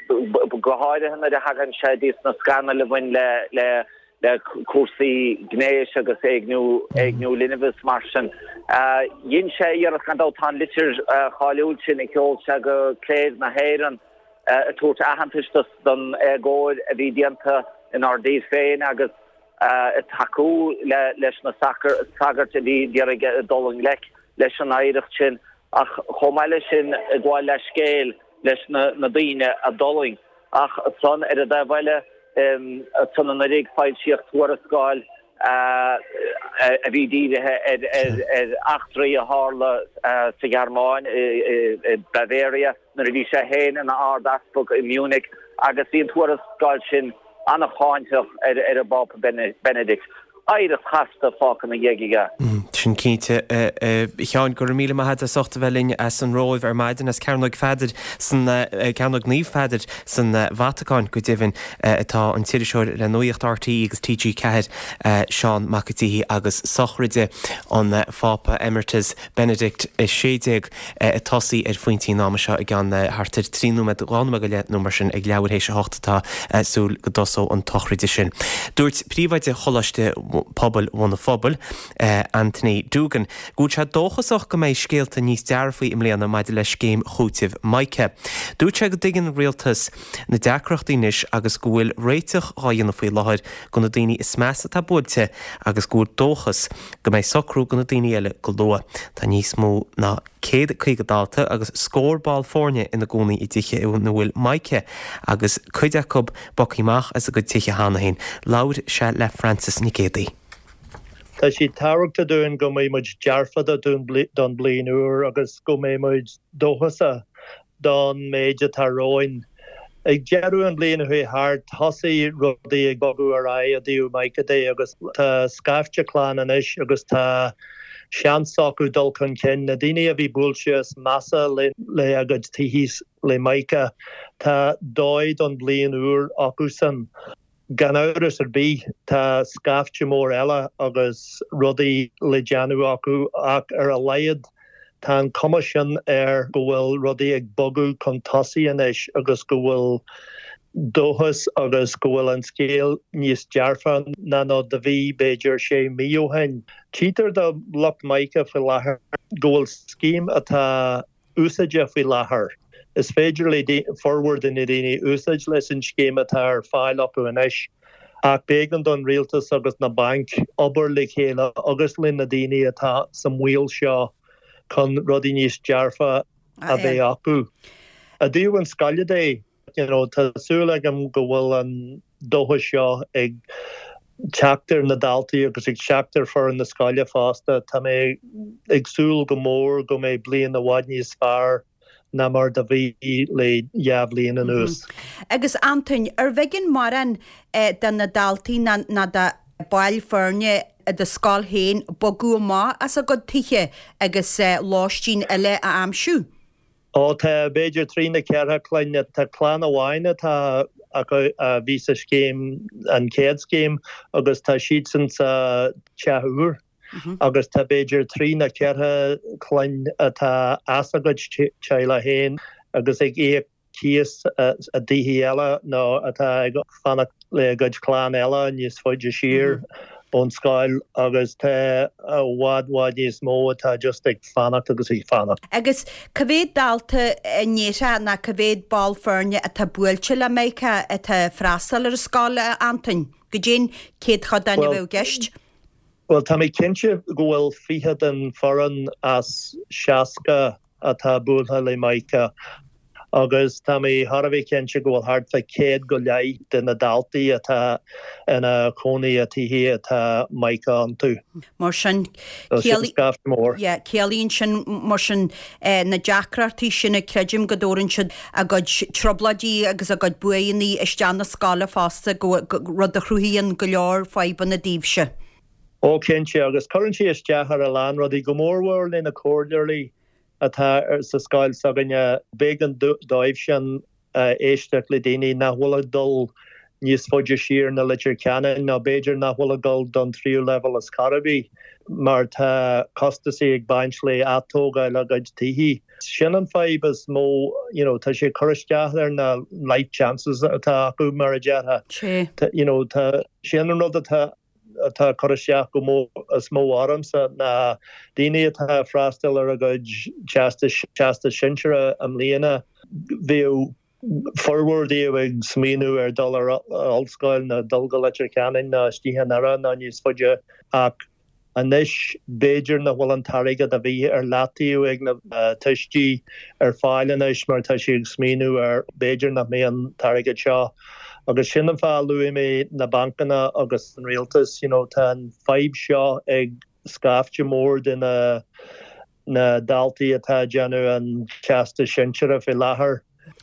go háirithe nuair a thagann sé dtí na scannail a bhain le le cúrsaí gnéis agus éigniú éigniú linbh is mar sin. Dhein sé iarracht gan dabht, tá an litir cháiliúil sin a sheol sé go cléir na hÉireann, ag tabhairt aitheantais don éagóir a bhí déanta inár dtír féin agus ag tacú leis na sagairt a bhí ag iarraidh dul i ngleic leis an oidhreacht sin ach chomh maith leis sin ag gabháil leithscéil leis na daoine a d'fhulaing. Ach ansan ar an dtaobh eile, ansan anuraidh foilsíodh tuarascáil a bhí dírithe ar eachtraí a tharla sa Ghearmáin, i Bavaria. nuair a bhí sé féin ina Ard-Easpag i Munich agus bhí an tuarascáil sin an-cháinteach ar an bPápa Benedict. Oidhreacht chasta fágtha ina dhiaidh aige. Sin cinnte. A Sheáin, go raibh míle maith agat as ucht a bheith linn as an Róimh ar maidin, as Cearnóg Pheadair san, Cearnóg Naomh Pheadair san Vatacáin go deimhin, atá an t-iriseoir le Nuacht RTÉ agus TG4, Seán Mac an tSíthigh agus sochraide an Phápa Emeritus. Benedict 16 ag tosaí ar phointí an ama seo i gceann thart ar 3 nóiméad, 2 nóiméad go leith nó mar sin ag leathuair théis a hocht atá súil go dtosóidh an tsochraide sin. Dúirt Príomhoide Choláiste Pobail Bhun an Phobail, Anthony Doogan, go bhfuil sé dóchasach go mbeidh scéalta níos dearfaí i mbliana maidir le scéim chúitimh Mica. Dúirt sé go dtuigeann an Rialtas na deacrachtaí anois agus go bhfuil réiteach dhá dhéanamh faoi láthair go na daoine is measa atá buailte agus go bhfuil dóchas go mbeidh socrú go na daoine eile go luath. Tá níos mó ná 150 dalta agus scór ball foirne ina gcónaí i dtithe ina bhfuil Mica agus cuid acu bogtha amach as a gcuid tithe cheana féin. Labhair sé le Frances Nic Géadaigh. Tá sé tábhachtach dúinn go mbeidh muid dearfa don bliain úr agus go mbeidh muid dóchasach don méid atá romhainn. Ag deireadh an bhliain a chuaigh thart, thosaigh rudaí ag bogadh ar aghaidh i dtaobh Micah de agus tá scaifte clann anois agus tá seans acu dul chun cinn. Na daoine a bhí buailte is measa le a gcuid tithí le Micah, tá dóigh don bhliain úr acusan. Gan amhras ar bith, tá scaifte mór eile agus rudaí le déanamh acu ach ar a laghad tá an cuma sin air go bhfuil rudaí ag bogadh chun tosaigh anois agus go bhfuil dóchas agus go bhfuil an scéal níos dearfa ná nó do bhí b'fhéidir sé mhí ó shin. Tchítear do lucht Micah faoi láthair go bhfuil scéim atá úsáide faoi láthair. Is féidir le formhór de na daoine úsáid leis an scéim atá ar fáil acu anois. Ach b'éigean don rialtas agus na bainc obair le chéile agus le na daoine atá sa mbaol seo chun rudaí níos dearfa a bheith acu. I dtaobh an scoile de, you know, tá súil agam go bhfuil an dóchas seo ag teacht ar na daltaí agus ag teacht ar foireann na scoile fosta. Tá mé ag súil go mór go mbeidh bliain i bhfad níos fearr ná mar do bhí le dha bhliain anuas. Agus Antoin, ar bh'éigean mórán de na daltaí ná de baill foirne i do scoil féin bogadh amach as a gcuid tithe agus lóistín eile a aimsiú? Ó tá, b'fhéidir trí nó ceithre clainn. Tá clann amháin atá acu a bhí sa scéim, an chéad scéim, agus tá siadsan sa teach úr. Agus tá b'fhéidir trí nó ceithre clainn atá as a gcuid teaghlach féin agus ag íoc cíos i dtithe eile nó atá ag fanacht le a gcuid clann eile níos faide siar ón scoil agus tá i bhfad bhfad níos mó atá just ag fanacht agus ag fanacht. Agus cá mhéad dalta a ndéarfá nó cá mhéad ball foirne atá buailte le Micah atá ag freastal ar an scoil, a Antoin? Goidé an céadchodán a bheadh i gceist? Bhuel, tá mé cinnte go bhfuil 20 den foireann as 60 atá buailthe le Micah agus tá mé thar a bheith cinnte go bhfuil thart fá chéad go leith de na daltaí atá ina chónaí i tithe atá Micah iontu. Mar sin, ciallaíonn sin mar sin na deacrachtaí sin a creidim go dtabharann siad a gcuid trioblóidí agus a gcuid buaineanna isteach na scoile fosta, rud a chruthaíonn go leor fadhbanna daoibhse. Ó cinnte, agus cuireann sé isteach ar a lán rudaí, go mórmhór le na comhairleoirí atá sa scoil s'againne. B'éigean dóibhsean éisteacht le daoine nach bhfuil ag dul níos faide siar ná Leitir Ceanainn nó b'fhéidir nach bhfuil ag dul don tríú leibhéal ar chor ar bith mar tá costasaí ag baint le atógáil a gcuid tithe. Sin an fadhb is mó, you know, tá sé ag cur isteach ar na life chances atá acu mar a déarfá. You know, tá, sin an rud atá atá ag cur isteach go mó is mó ormsa ná daoine atá ag freastal ar a gcuid teastais teastas sinsearach i mbliana, bheadh formhór díobh ag smaoineamh ar dul ar ollscoil nó dul go Leitir Ceanainn nó istigh i nDoire nó níos faide ach anois b'fhéidir nach bhfuil an t-airgead a bhí ar leataobh ag na tuistí ar fáil anois mar tá siad ag smaoineamh ar b'fhéidir nach mbeidh an t-airgead seo agus sin an fáth a luaigh mé na bancanna agus an rialtas, you know tá an fadhb seo ag scaifte mór de na na daltaí atá ag déanamh an teastas sinsearach faoi láthair,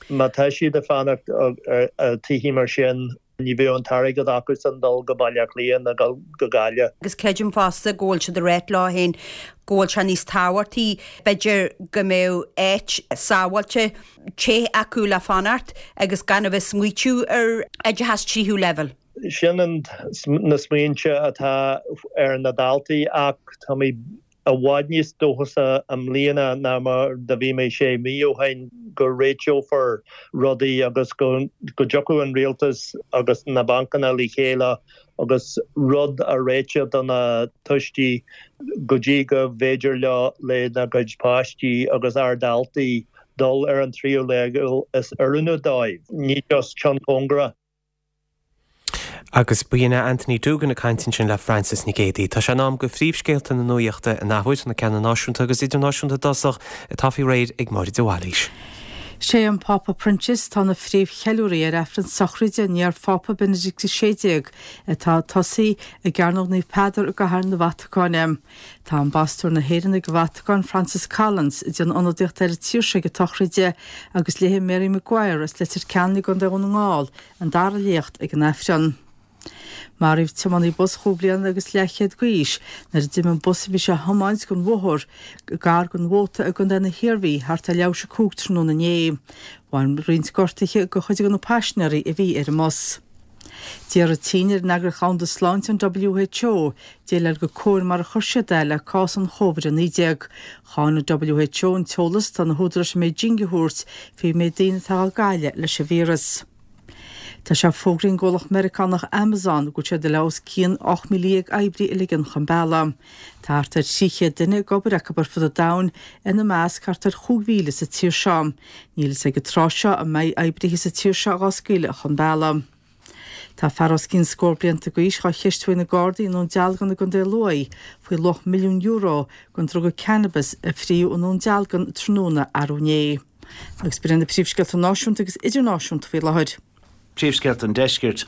má tá siad ag fanacht i tithe mar sin, ní bheadh an t-airgead acusan dul go Baile Átha Cliath ná dul go Gaillimh. Agus creidim fosta go bhfuil siad ag ráit leo féin go bhfuil sé níos tábhachtaí, b'fhéidir, go mbeadh áit sábháilte, te acu le fanacht agus gan a bheith ag smaoitiú ar oideachas tríú leibhéal. Sin na smaointe atá ar na daltaí ach tá mé i bhfad níos dóchasaí i mbliana ná mar do bhí mé sé mhí ó shin go réiteofar rudaí agus go dtiocfaidh an rialtas agus na bancanna le chéile agus rud a réiteach do na tuistí go dtí go bhféidir leo lena gcuid páistí agus ár ndaltaí dul ar an tríú leibhéal is oiriúnaí dóibh, ní just ceann cóngarach. Agus ba shin é Anthony Doogan ag caint ansin le Frances Nic Géadaigh. Tá sé in am go phríomhscéalta na nuachta in athuair, na ceanna náisiúnta agus idirnáisiúnta i dtosach, atá faoi réir ag Máire de Bhailís. Sé an Pápa Proinsias atá ina phríomhcheiliúraí ar Aifreann sochraide an iar-Phápa Benedict XVI atá ag tosaí i gCearnóg Naomh Peadar i gCathair na Vatacáine. Tá Ambasadóir na hÉireann ag an Vatacáin, Francis Collins, ag déanamh ionadaíocht ar an tír seo ag an tsochraide agus léifidh Mary Maguire as Leitir Ceanainn i gContae Dhún na nGall an dara léacht ag an Aifreann. Maraíodh tiománaí bus chúig bliana agus leathchéad d'aois nuair a d'imigh an bus a bhí sé a thiomáint den bhóthar gar don Mhóta i gContae na hIarmhí thart ar leathuair tar éis a 5 tráthnóna inné. Bhain roinnt gortuithe do chuid de na paisinéirí a bhí ar an mbus. D'iarr an tSín ar an Eagraíocht Dhomhanda Sláinte, an WHO, déileáil go cóir mar a chuir siad é le cás an Chóvid-19. Cháin an WHO an t-eolas atá na húdaráis i mBeijing a thabhairt faoin méid daoine atá á gcailleadh leis an víreas. Tá sé fógraithe ag an gcomhlacht Meiriceánach Amazon go bhfuil siad le os cionn 18,000 oibrí a ligean chun bealaigh. Tá thart ar 300 duine ag obair acu ar fud an domhain, ina measc thart ar 5,000 sa tír seo. Níl fhios ag an tráth seo an mbeidh oibrithe sa tír seo dhá scaoileadh chun bealaigh. Tá fear os cionn scór blianta d'aois dhá cheistiú ag na Gardaí i nDún Dealgan i gContae Lú faoi luach €1,000,000 den druga cannabis a fríodh i nDún Dealgan tráthnóna arú inné. Agus b'in iad na príomhscéalta náisiúnta agus idirnáisiúnta faoi láthair. Príomhscéalta an Deiscirt.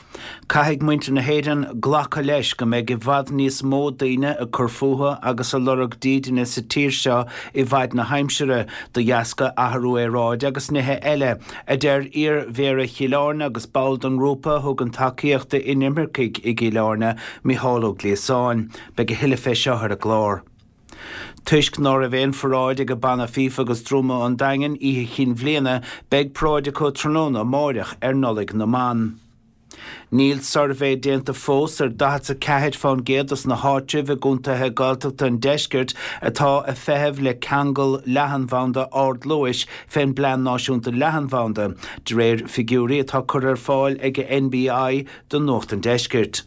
Caithfidh muintir na hÉireann glacadh leis go mbeidh i bhfad níos mó daoine ag cur fúthu agus ag lorg dídine sa tír seo i bhfaid na haimsire, de dheasca athrú aeráide agus nithe eile, a deir iar-Mhéara Chill Airne agus ball den ngrúpa a thugann tacaíocht d'inimircigh i gCill Airne, Micheál Ó Gliasáin. Beidh a thuilleadh fé seo ar an gclár. Toisc ná raibh aon pharáid ag an Banna Fífe agus Druma an Daingin oíche Chinn Bhliana, beidh paráid acu tráthnóna amáireach ar Nollaig na mBan. Níl suirbhé déanta fós ar 44 fán gcéad dos na háitribh i gcontaetha Gaeltachta an deiscirt atá ag feitheamh le ceangal leathanbhanda ardluais fén bPlean Náisiúnta Leathanbhanda, de réir figiúirí atá curtha ar fáil ag NBI do Nuacht an Deiscirt.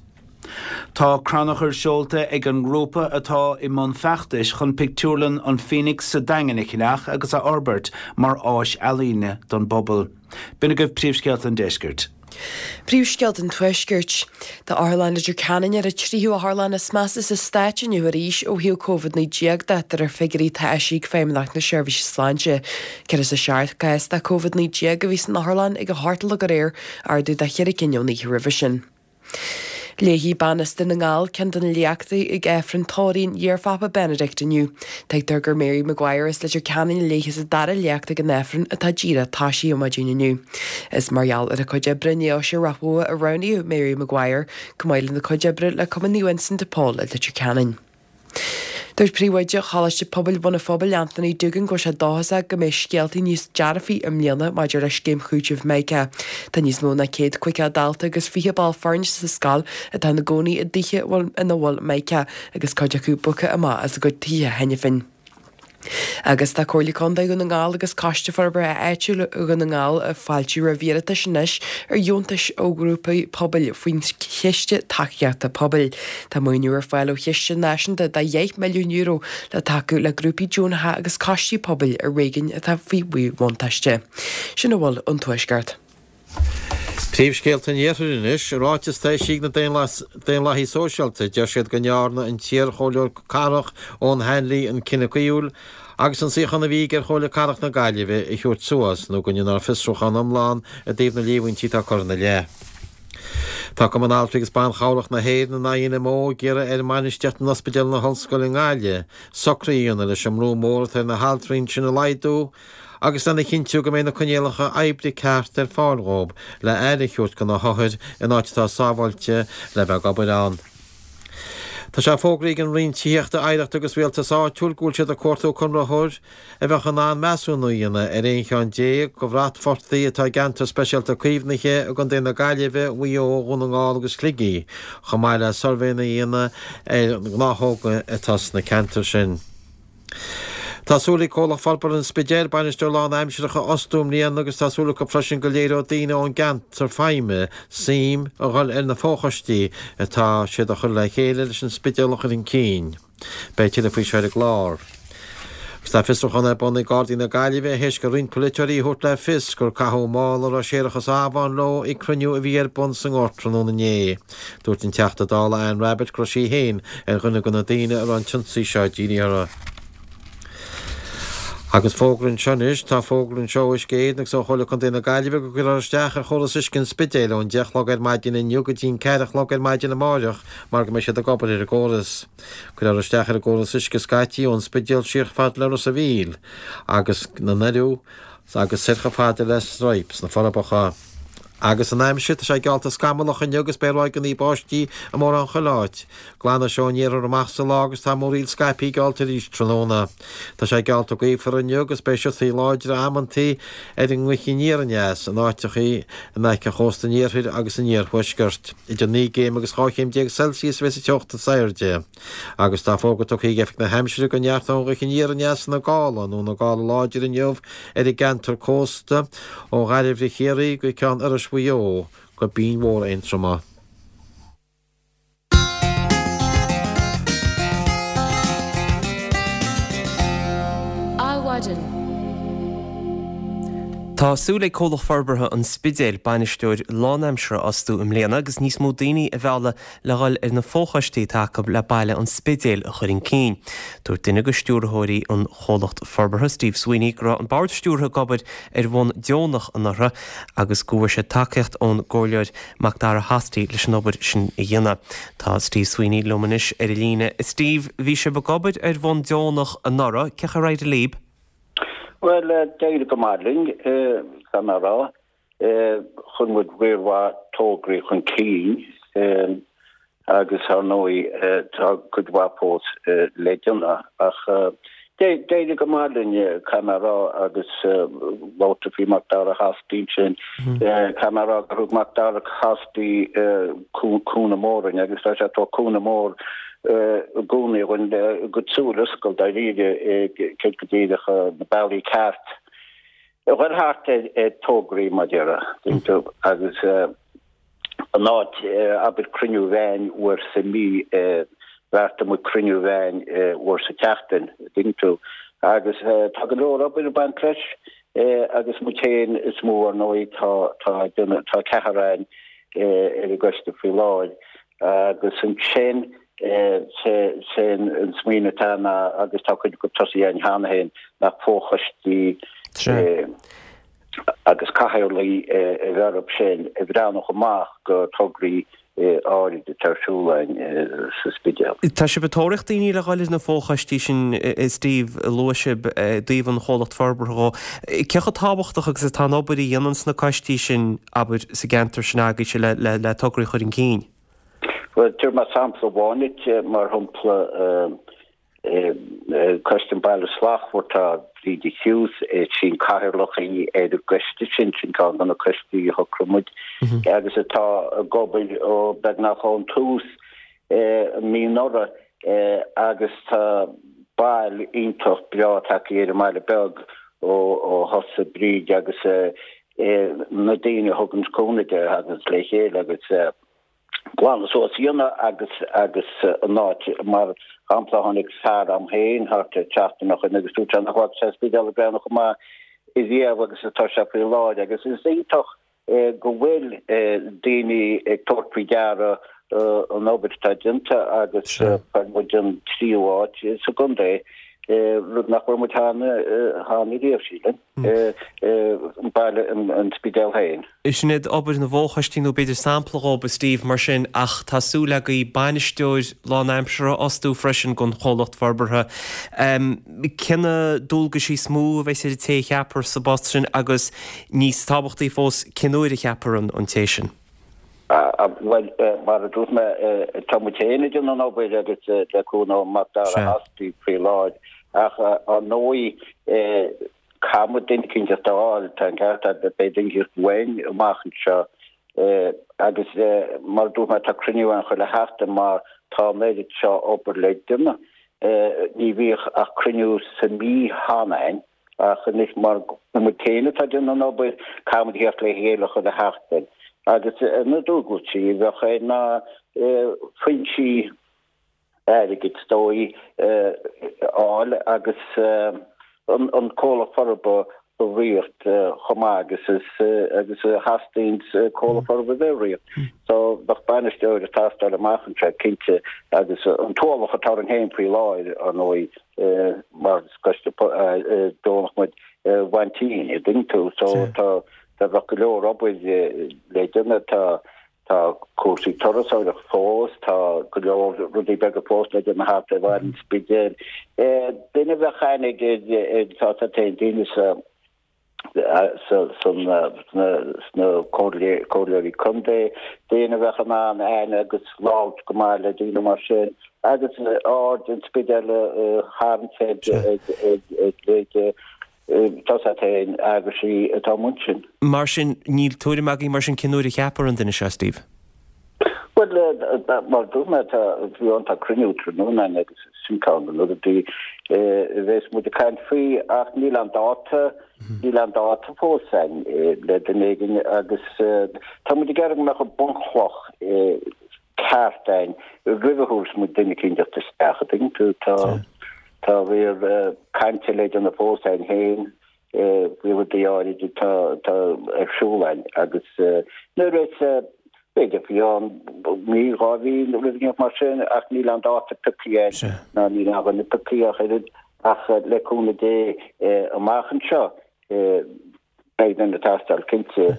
Tá crannchur seolta ag an ngrúpa atá i mbun feachtais chun pictiúrlann an Phoenix sa Daingean a cheannach agus a fhorbairt mar áis ealaíne don bpobal. B'in agaibh príomhscéalta an deiscirt. Príomhscéalta an Tuaiscirt. Tá Otharlann Leitir Ceanainn ar an tríú otharlann is measa sa stát inniu arís ó thaobh Covid-19 de, de réir figiúirí atá eisithe ag Feidhmeannacht na Seirbhíse Sláinte. 107 cás de Covid-19 a bhí san otharlann ag a hocht a chlog aréir, ardú de cheithre cinn ón oíche roimhe sin. Léifidh bean as Dún na nGall ceann de na léachtaí ag Aifreann tórraimh an iarPhápa Benedict inniu. Tuigtear gur Mary Maguire as Leitir Ceanainn a léifeas an dara léacht ag an Aifreann atá díreach toisithe ar maidin inniu. Is mar gheall ar a cuid oibre i nDeoise Ráth Bhoth a roghnaíodh Mary Maguire, chomh maith lena cuid oibre le Cumann Naomh Uinseann de Pól i Leitir Ceanainn. Dúirt Príomhoide Choláiste Pobail Bhun an Phobail, Anthony Doogan, go bhfuil sé dóchasach go mbeidh scéaltaí níos dearfaí i mbliana maidir le scéim chúitimh Mica. Tá níos mó ná 150 dalta agus 20 ball foirne sa scoil atá ina gcónaí i dtithe ina bhfuil Mica agus cuid acu bogtha amach as a gcuid tithe cheana féin. Agus tá Comhairle Contae Dhún na nGall agus Coiste Forbartha Áitiúil Dhún na nGall ag fáiltiú roimh iarratais anois ar dheontais ó ghrúpaí pobail faoin Chiste Tacaíochta Pobail. Tá maoiniú ar fáil ó chiste náisiúnta de €10 milliún le tacú le grúpaí deonacha agus coistí pobail i réigiúin atá faoi mhíbhuntáiste. Sin a bhfuil ón Tuaisceart. Príomhscéalta an Iarthair anois. I ráiteas atá eisithe ag na Daonlathaithe Sóisialta, deir siad go ndearna an t-iar-chomhairleoir cathrach Eoghan Hanley an cinneadh caoithiúil agus an suíochán a bhí aige ar Chomhairle Cathrach na Gaillimhe a thabhairt suas nó go ndéanfar fiosrúchán iomlán i dtaobh na líomhaintí atá curtha ina leith. Tá Cumann Altraí agus Ban Chabhrach na hÉireann, an INMO, ag iarraidh ar bhainistíocht in Ospidéal na hOllscoile i nGaillimh socruithe a dhéanamh leis an mbrú mór atá ar na haltraí ansin a laghdú agus lena chinntiú go mbeidh na coinníollacha oibre ceart ar fáil dhóibh le aire a thabhairt do na hothair in áit atá sábháilte le bheith ag obair ann. Tá sé fógraithe ag an Roinn Tithíochta, Oidhreachta agus Rialtais Áitiúil go bhfuil siad ag cuartú conraitheoir a bheadh in ann measúnú a dhéanamh ar 11 cheann de bhratphortaigh atá i gceantar speisialta caomhnaithe i gContae na Gaillimhe, Mhaigh Eo, Dhún na nGall agus Shligigh, chomh maith le suirbhéanna a dhéanamh ar na gnáthóga atá sna ceantair sin. Tá súil ag Comhlacht Forbartha an Spidéil bainisteoir lánaimsearach a fhostú i mbliana agus tá súil acu freisin go léireoidh daoine ón gceantar feidhme suim a dhul ar na fochoistí atá siad a chur le chéile leis an Spidéal a chur chun cinn. Beidh tuilleadh faoi seo ar an gclár. Agus tá fiosrúchán ar bun ag Gardaí na Gaillimhe théis do roinnt polaiteoirí a thabhairt le fios gur caitheadh mála a raibh séarachas amháin leo ag cruinniú a bhí ar bun sa nGort tráthnóna inné. Dúirt an Teachta Dála Anne Rabbitte go raibh sí féin ar dhuine de na daoine a raibh an t-ionsaí seo dírithe orthu. Agus fógra anseo anois, tá fógra anseo ó Uisce Éireann agus ó Chomhairle Contae na Gaillimhe go gcuirfear isteach ar chóras uisce an Spidéil ón 10 a chlog ar maidin inniu go dtí an 4 a chlog ar maidin amáireach mar go mbeidh siad ag obair ar an gcóras. Cuirfear isteach ar an gcóras uisce scaití ón Spidéal siar chomh fada le Ros a' Mhíl agus na nDoirí agus soir chomh fada le Straidhp sna Forbacha. Agus an aimsir, tá sé geallta scamallach inniu agus beidh ráigeanna báistí i mórán chuile áit. Glanfaidh sé ón iarthar amach sa lá agus tá múraíl scaipthe geallta arís tráthnóna. Tá sé geallta gaofar inniu agus beidh siotaí láidre amantaí ar an ngaoth aniar aneas in áiteachaí in aice chósta an iarthair agus an iarthuaiscirt. Idir 9 gcéim agus 12 chéim Celsius a bheas an teocht is airde. Agus tá fógra tugtha ag Oifig na hAimsire go neartóidh an ghaoth aniar aneas ina gála nó ina gála láidir inniu ar an gceantar cósta ó Ghairbhre Chiarraí go Ceann Iorrais Mhaigh Eo go Binn Mhór Aontroma. Adhmhaidin. Tá súil ag Comhlacht Forbartha an Spidéil bainisteoir lánaimseartha a fhostú i mbliana agus níos mó daoine a mhealladh le dhul ar na fochoistí atá acu le baile an Spidéil a chur chun cinn. Dúirt duine de stiúrthóirí an chomhlacht forbartha, Steve Sweeney, go raibh an bord stiúrtha ag obair ar bhonn deonach anuraidh agus go bhfuair siad tacaíocht ón gComhairleoir Macdara Hosty leis an obair sin a dhéanamh. Tá Steve Sweeney liom anois ar an líne. Steve, bhí sibh ag obair ar bhonn deonach anuraidh, cén chaoi ar éirigh libh? Bhuel, d'éirigh go maith linn, caithfidh mé a rá. Chuir muid riar mhaith tograí chun cinn agus, ar ndóigh, tá cuid mhaith fós le déanamh. Ach d'éirigh go maith linn, caithfidh mé a rá, agus labhair tú faoi Macdara Hosty ansin. Caithfidh mé a rá gur thug Macdara Hosty cúnamh mór dúinn agus tá sé ag tabhairt cúnamh mór i gcónaí dhúinn a gcuid súil a oscailt dáiríre céard go díreach na bealaí ceart a dhul thart ar tograí mar déarfá tú agus in áit abair cruinniú amháin uair sa mí bheartaigh muid cruinniú amháin uair sa tseachtain dtuigeann tú agus tá go leor obair ag baint leis agus muid féin is mó ar ndóigh tá tá tá ceathrar againn ar an gcoiste faoi láthair Agus ansin, sé an smaoineamh atá ná, agus tá cuid acu tosaithe againn cheana féin, nach fochoistí agus cathaoirligh a bheith orthu sin a bhreathnódh amach go tograí áirid atá ar siúl againn sa Spidéal. Tá sibh ag tóraíocht daoine le dhul ar na fochoistí sin, a Steve, luaigh sibh i dtaobh an chomhlacht forbartha dhó. Cé chomh tábhachtach agus atá an obair a dhéananns na coistí sin, abair, sa gceantar sin agaibhse le, le, le tograí a chur chun cinn? Bhuel, tabharfaidh mé sampla amháin duit, mar shampla, Coiste an Bhaile Slachtmhar, tá Bríde Hughes, is í an cathaoirleach í ar an gcoiste sin, sin ceann de na coistí a shocraigh muid, agus atá ag obair ó beagnach ón tús an mí anuraidh agus tá bail iontach breá tagtha ar an mbaile beag ó thosaigh Bríd agus na daoine a thugann cúnamh di a thaganns le chéile agus glanadh suas a dhéanamh agus agus an áit mar shampla tháinig fear agam féin thart ar tseachtain ó shin agus dúirt sé nach bhfaca sé an Spidéal ag breathnú chomh maith riamh agus atá sé faoi láthair agus is iontach go bhfuil daoine ag tabhairt faoi deara an obair atá déanta agus fuair muid an tríú áit sa gcontae, rud nach bhfuair muid cheana riamh, sílim, an baile, an Spidéal féin. Sin iad obair na bhfochoistí nó b'fhéidir sampla dhóibh, a Steve, mar sin, ach tá súil agaibh bainisteoir lánaimseartha a fhostú freisin don chomhlacht forbartha. Cé na dualgaisí is mó a bheas ar an té a cheapfar sa bpost sin agus Níos tábhachtaí fós, cén uair a cheapfar an té sin? Bhuel, mar a dúirt mé, tá muid féin ag déanamh an obair agus le cúnamh ó Macdara Hosty faoi láthair ach ar ndóigh caithfidh muid duine eicínt a fháil, tá an ceart agat, beidh duine eicínt uainn amach anseo agus mar a dúirt mé tá cruinniú ann chuile sheachtain mar tá an oiread seo obair le déanamh. Ní bhíodh ach cruinniú sa mí cheana againn. Ach anois mar gur muid féin atá ag déanamh an obair, caithfidh muid theacht le chéile chuile sheachtain. Agus na dualgaisí a bheadh air ná foinsí airgid is dóigh a fháil agus an comhlacht forbartha a riart chomh maith agus is agus a theastaíonn comhlacht forbartha a bheith ag riart. So bheadh bainisteoir ag teastáil amach anseo cinnte agus an t-ualach atá orainn féin faoi láthair ar ndóigh mar is coiste deonach muid a bhaint dínn, an dtuigeann tú. So tá tá bheadh go leor obair le déanamh, tá tá cúrsaí turasóireachta fós, tá go leor rudaí beaga fós le déanamh thart ar bhaile an Spidéil. Duine a bheadh aithne ag tá tá daoine sa sna comhairleoirí contae, daoine a bheadh in ann aithne agus labhairt go maith le daoine mar sin agus aird an Spidéil a tharraingt ar leithéid tá a fhios agat féin eagraisí atá amuigh ansin. Mar sin, níl tuairim agaibh mar sin cén uair a cheapfar an duine seo, Steve? Bhuel, mar a dúirt mé, tá, bhí ann, tá cruinniú tráthnóna againn agus sin ceann de na rudaí a bheas muid ag caint faoi ach níl aon dáta, níl aon dáta fós againn le duine éigin agus tá muid ag iarraidh go mbeadh an bunchloch ceart againn roimh a thabharfas muid duine eicínt isteach, an dtuigeann tú, tá, tá riar cainte le déanamh fós againn féin. Faoi rudaí áirid atá ar siúl againn agus nuair is b'fhéidir faoi cheann mí, 2 mhí nó rud éigin mar sin ach níl aon dáta pioctha againn ná níl aon dhuine pioctha ach oiread ach le cúnamh Dé amach anseo beidh duine ag teastáil cinnte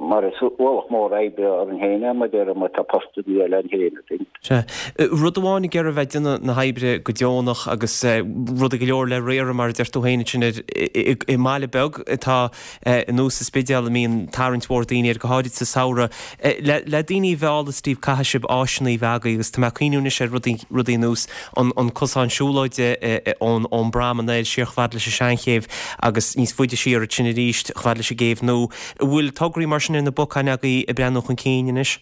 mar is ualach mór oibre orainn féin é mar déarfá má tá postanna eile againn féin. Sea. Rud amháin ag iarraidh bheith ag déanamh na hoibre go deonach agus rudaí go leor le riaradh mar a deir tú féin ansin ar i mbaile beag atá ar nós an Spidéal a mbíonn tarraingt mhór daoine air go háirid sa samhradh. Le le daoine a mhealladh Steve caithfidh sibh áiseanna a bheith agaibh agus tá mé ag cuimhniú anois ar rudaí rudaí ar nós an an cosán siúlóide ón ón bProm anoir siar chomh fada leis an Seanchéibh agus níos faide siar ansin arís chomh fada leis an gCéibh Nua. An bhfuil tograí mar sin ar na bacáin agaibh ag breathnú chun cinn anois?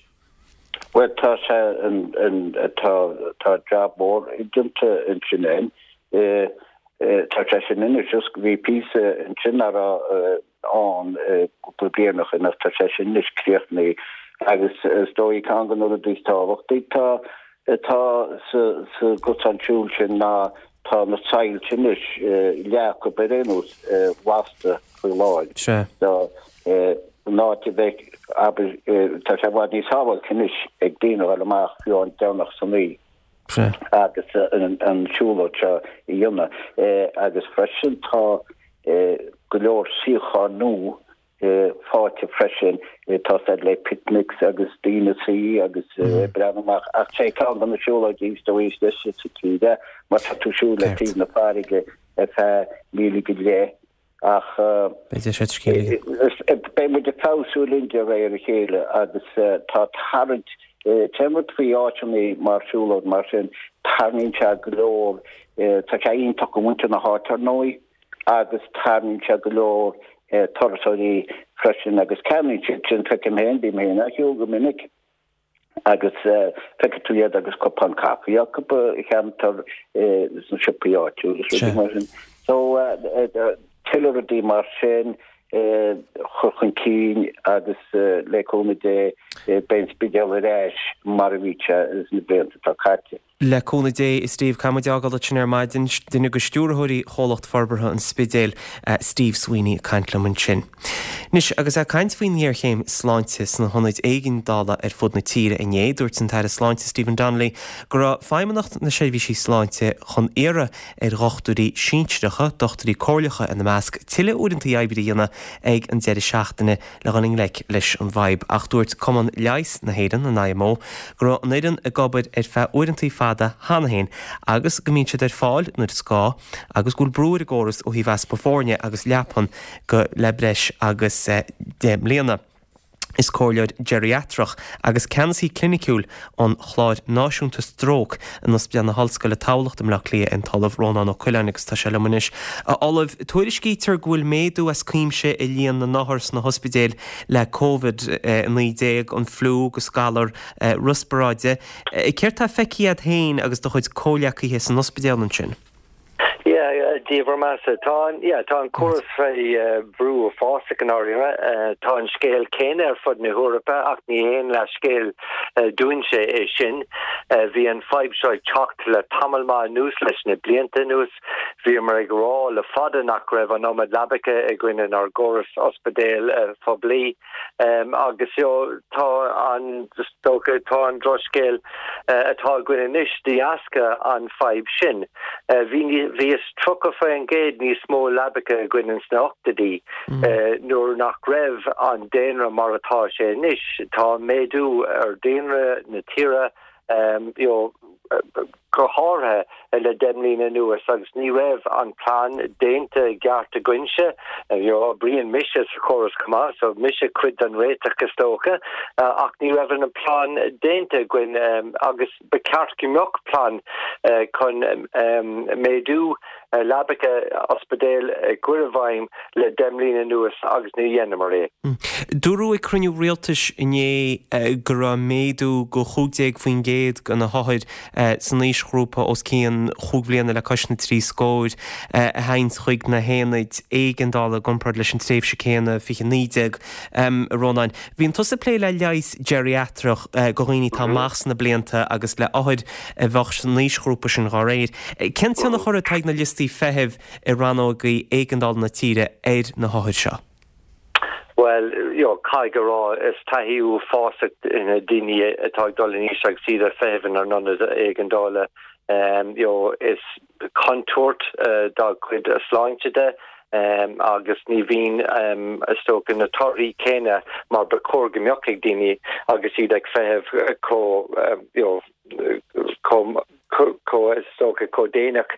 Bhuel tá sé an an tá tá jab mór déanta ansin againn. Tá sé sin anois just bhí píosa ansin nach raibh ann cúpla bliain ó shin ach tá sé sin anois críochnaithe agus is dóigh ceann de na rudaí is tábhachtaí atá atá sa sa gcosán siúil sin ná tá na soilse anois leath acu ar aon nós lasta faoi láthair. Sea. So an áit a bheidh abair tá sé i bhfad níos sábháilte anois ag daoine a dhul amach fiú an Domhnach san oíche. Sea. Agus an siúlóid seo a dhéanamh. Agus freisin tá go leor suíocháin nua faighte freisin tá siad le picnics agus daoine suí agus breathnú amach. Ach sé ceann de na siúlóidí is dóigh is deise sa tír é mar tá tú ag siúl le taobh na farraige ar feadh míle go leith. Ach beidh muid ag feabhsú linn de réir a chéile agus tá tarraingt, téann rud faoi áiteanna mar siúlóid mar sin, tarraingíonn sé go leor, tá sé iontach do mhuintir na háite ar ndóigh agus tarraingíonn sé go leor turasóirí freisin agus ceannaíonn siad sin, feicim féin, bím féin á shiúl go minic. agus feicfidh tú iad agus cupán caife acu a cheantar sna siopaí áitiúla is rudaí mar sin. So tuilleadh rudaí mar sin a chur chun cinn agus le cúnamh Dé beidh an Spidéal ar ais mar a bhí sé sna blianta atá caite. Le cúnamh Dé, a Steve, caithfidh muid fhágáil ansin ar maidin. Duine de stiúrthóirí Chomhlacht Forbartha an Spidéil, Steve Sweeney ag caint liom ansin. Anois, agus é ag caint faoin ngéarchéim sláinte sna hionaid éigeandála ar fud na tíre inné, dúirt an tAire Sláinte Stephen Donnelly go raibh Feidhmeannacht na Seirbhísí Sláinte chun iarraidh ar dhochtúirí sinsearacha, dochtúirí comhairleacha ina measc, tuilleadh uaireanta oibre a dhéanamh ag an deireadh seachtaine le dhul i ngleic leis an bhfadhb, ach dúirt Cumann Leighis na hÉireann, an IMO, go raibh an fhoireann ag obair ar feadh uaireanta fada cheana féin agus go mbíonn siad ar fáil nuair is gá agus go bhfuil brú ar an gcóras ó thaobh easpa foirne agus leapan go le breis agus 10 mbliana. Is comhairleoir geiriatrach agus ceannasaí cliniciúil an Chláir Náisiúnta Stróc in Ospidéal na hOllscoile Tamhlacht i mBleá Cliath é an tOllamh Rónán Ó Coileáin agus tá sé liom anois. A Ollaimh, tuairiscítear go bhfuil méadú as cuimse i líon na n-othar sna hospidéil le Covid-19, an fliú agus galar riospráide. Céard tá feicthe agat féin agus do chuid comhghleacaithe san ospidéal ansin? Yeah, Dia bhur mbeatha. Tá an, yeah, tá an córas faoi bhrú uafásach i ndáiríre. Tá an scéal céanna ar fud na hEorpa ach ní haon leathscéal dúinnse é sin. Bhí an fadhb seo ag teacht le tamall maith anuas, leis na blianta anuas. Bhíomar ag rá le fada nach raibh an iomad leabacha againn inár gcóras ospidéil phoiblí. Agus tá an, is dócha, tá an drochscéal atá againn anois de dheasca an fadhb sin. Bhí, bhí is 30% níos mó leabacha againn ins na hochtóidí nuair nach raibh an daonra mar atá sé anois. Tá méadú ar daonra na tíre you know, go háirithe le 10 mbliana anuas agus ní raibh an plean déanta i gceart againnse. You know, oibríonn mise sa chóras chomh maith, so mise cuid den réiteach is dócha, ach ní raibh an plean déanta againn agus ba cheart go mbeadh plean chun méadú leabacha ospidéil a chur i bhfeidhm le 10 mbliana anuas agus ní dhéanamar é. Dúradh ag cruinniú rialtais inné go raibh méadú go 15% de na hothair. san aoisghrúpa os cionn chúig bhliana le cois na dtrí scóir a théanns chuig na haonaid éigeandála i gcomparáid leis an tréimhse céanna 2019. A Rónáin, bíonn tusa ag plé le leigheas geiriatrach do dhaoine atá amach sna blianta agus le othair a bheadh san aoisghrúpa sin dá réir. Cén tionchar atá ag na liostaí feithimh i rannógaí éigeandála na tíre ar na hothair seo? Bhuel, you know, caithfidh a rá, is taithí uafásach na daoine atá ag dul in aois agus iad ag feitheamh inár n-ionad éigeandála. You know, is contúirt dá gcuid sláinte de agus ní bhíonn, is dócha, na torthaí céanna mar ba chóir go mbeadh ag daoine agus iad ag feitheamh chomh, you know, chomh chomh, is dócha, chomh déanach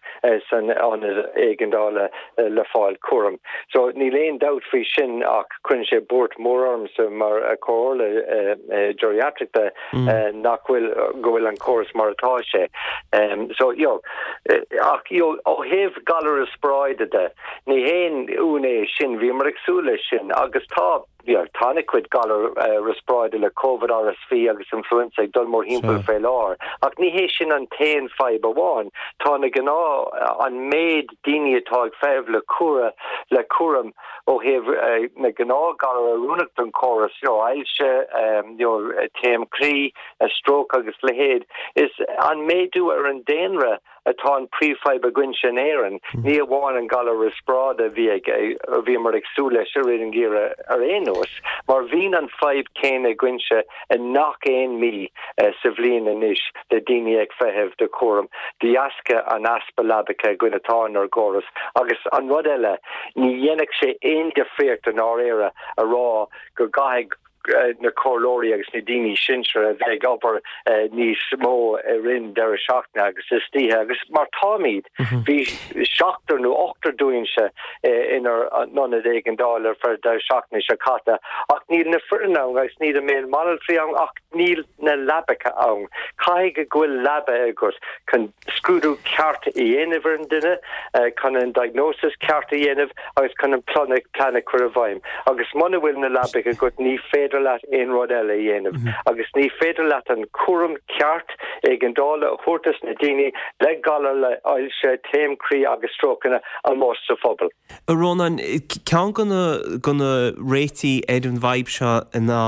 san ionad éigeandála le fáil cúram. So níl aon dabht faoi sin ach cuireann sé buairt mhór ormsa mar chomhairle geriatric de nach bhfuil, go bhfuil an córas mar atá sé. So, you know, ach, you know, ó thaobh galar riospráide de, ní haon ionadh é sin, bhíomar ag súil leis sin agus tá, Tá an-chuid galar riospráide le Covid, RSV agus Influenza ag dul mórthimpeall faoi láthair. Ach ní hé sin an t-aon fadhb amháin. Tá na gnáth, an méid daoine atá ag feitheamh le cúra, le cúram ó thaobh na gnáth-ghalar oiriúnach don chóras, you know, ailse, you know, taom croí, stróc agus leithéid. Is an méadú ar an daonra atá an príomhfhadhb againnse in Éirinn, ní amháin an galar riospráide a bhí ag, a bhíomar ag súil leis i rith an gheimhridh ar aon nós, mar bhíonn an fadhb céanna againnse i ngach aon mí sa bhliain anois le daoine ag feitheamh do chúram de dheasca an easpa leabacha againn atá inár gcóras. Agus an rud eile, ní dhéanfadh sé aon difríocht i ndáiríre a rá go gcaithfidh na comhairleoirí agus na daoine sinsear a bheith ag obair níos mó i rith an deireadh seachtaine agus istoíche agus mar táimid, bhí seachtar nó ochtar dúinnse inár n-ionad éigeandála ar feadh deireadh seachtaine seo caite ach níl na foireann ann agus níl an méid banaltraí ann ach níl na leabacha ann. Caithfidh go bhfuil leaba agat chun scrúdú ceart a dhéanamh ar an duine, chun an diagnosis ceart a dhéanamh agus chun an plan a chur i bhfeidhm. Agus muna bhfuil na leabacha agat ní féidir leat aon rud eile a dhéanamh agus ní féidir leat an cúram ceart éigeandála a thabhairt dos na daoine le galar le ailse, taom croí agus strócanna amuigh sa phobal. A Rónáin, ceann de na réitigh ar an bhfadhb seo ná,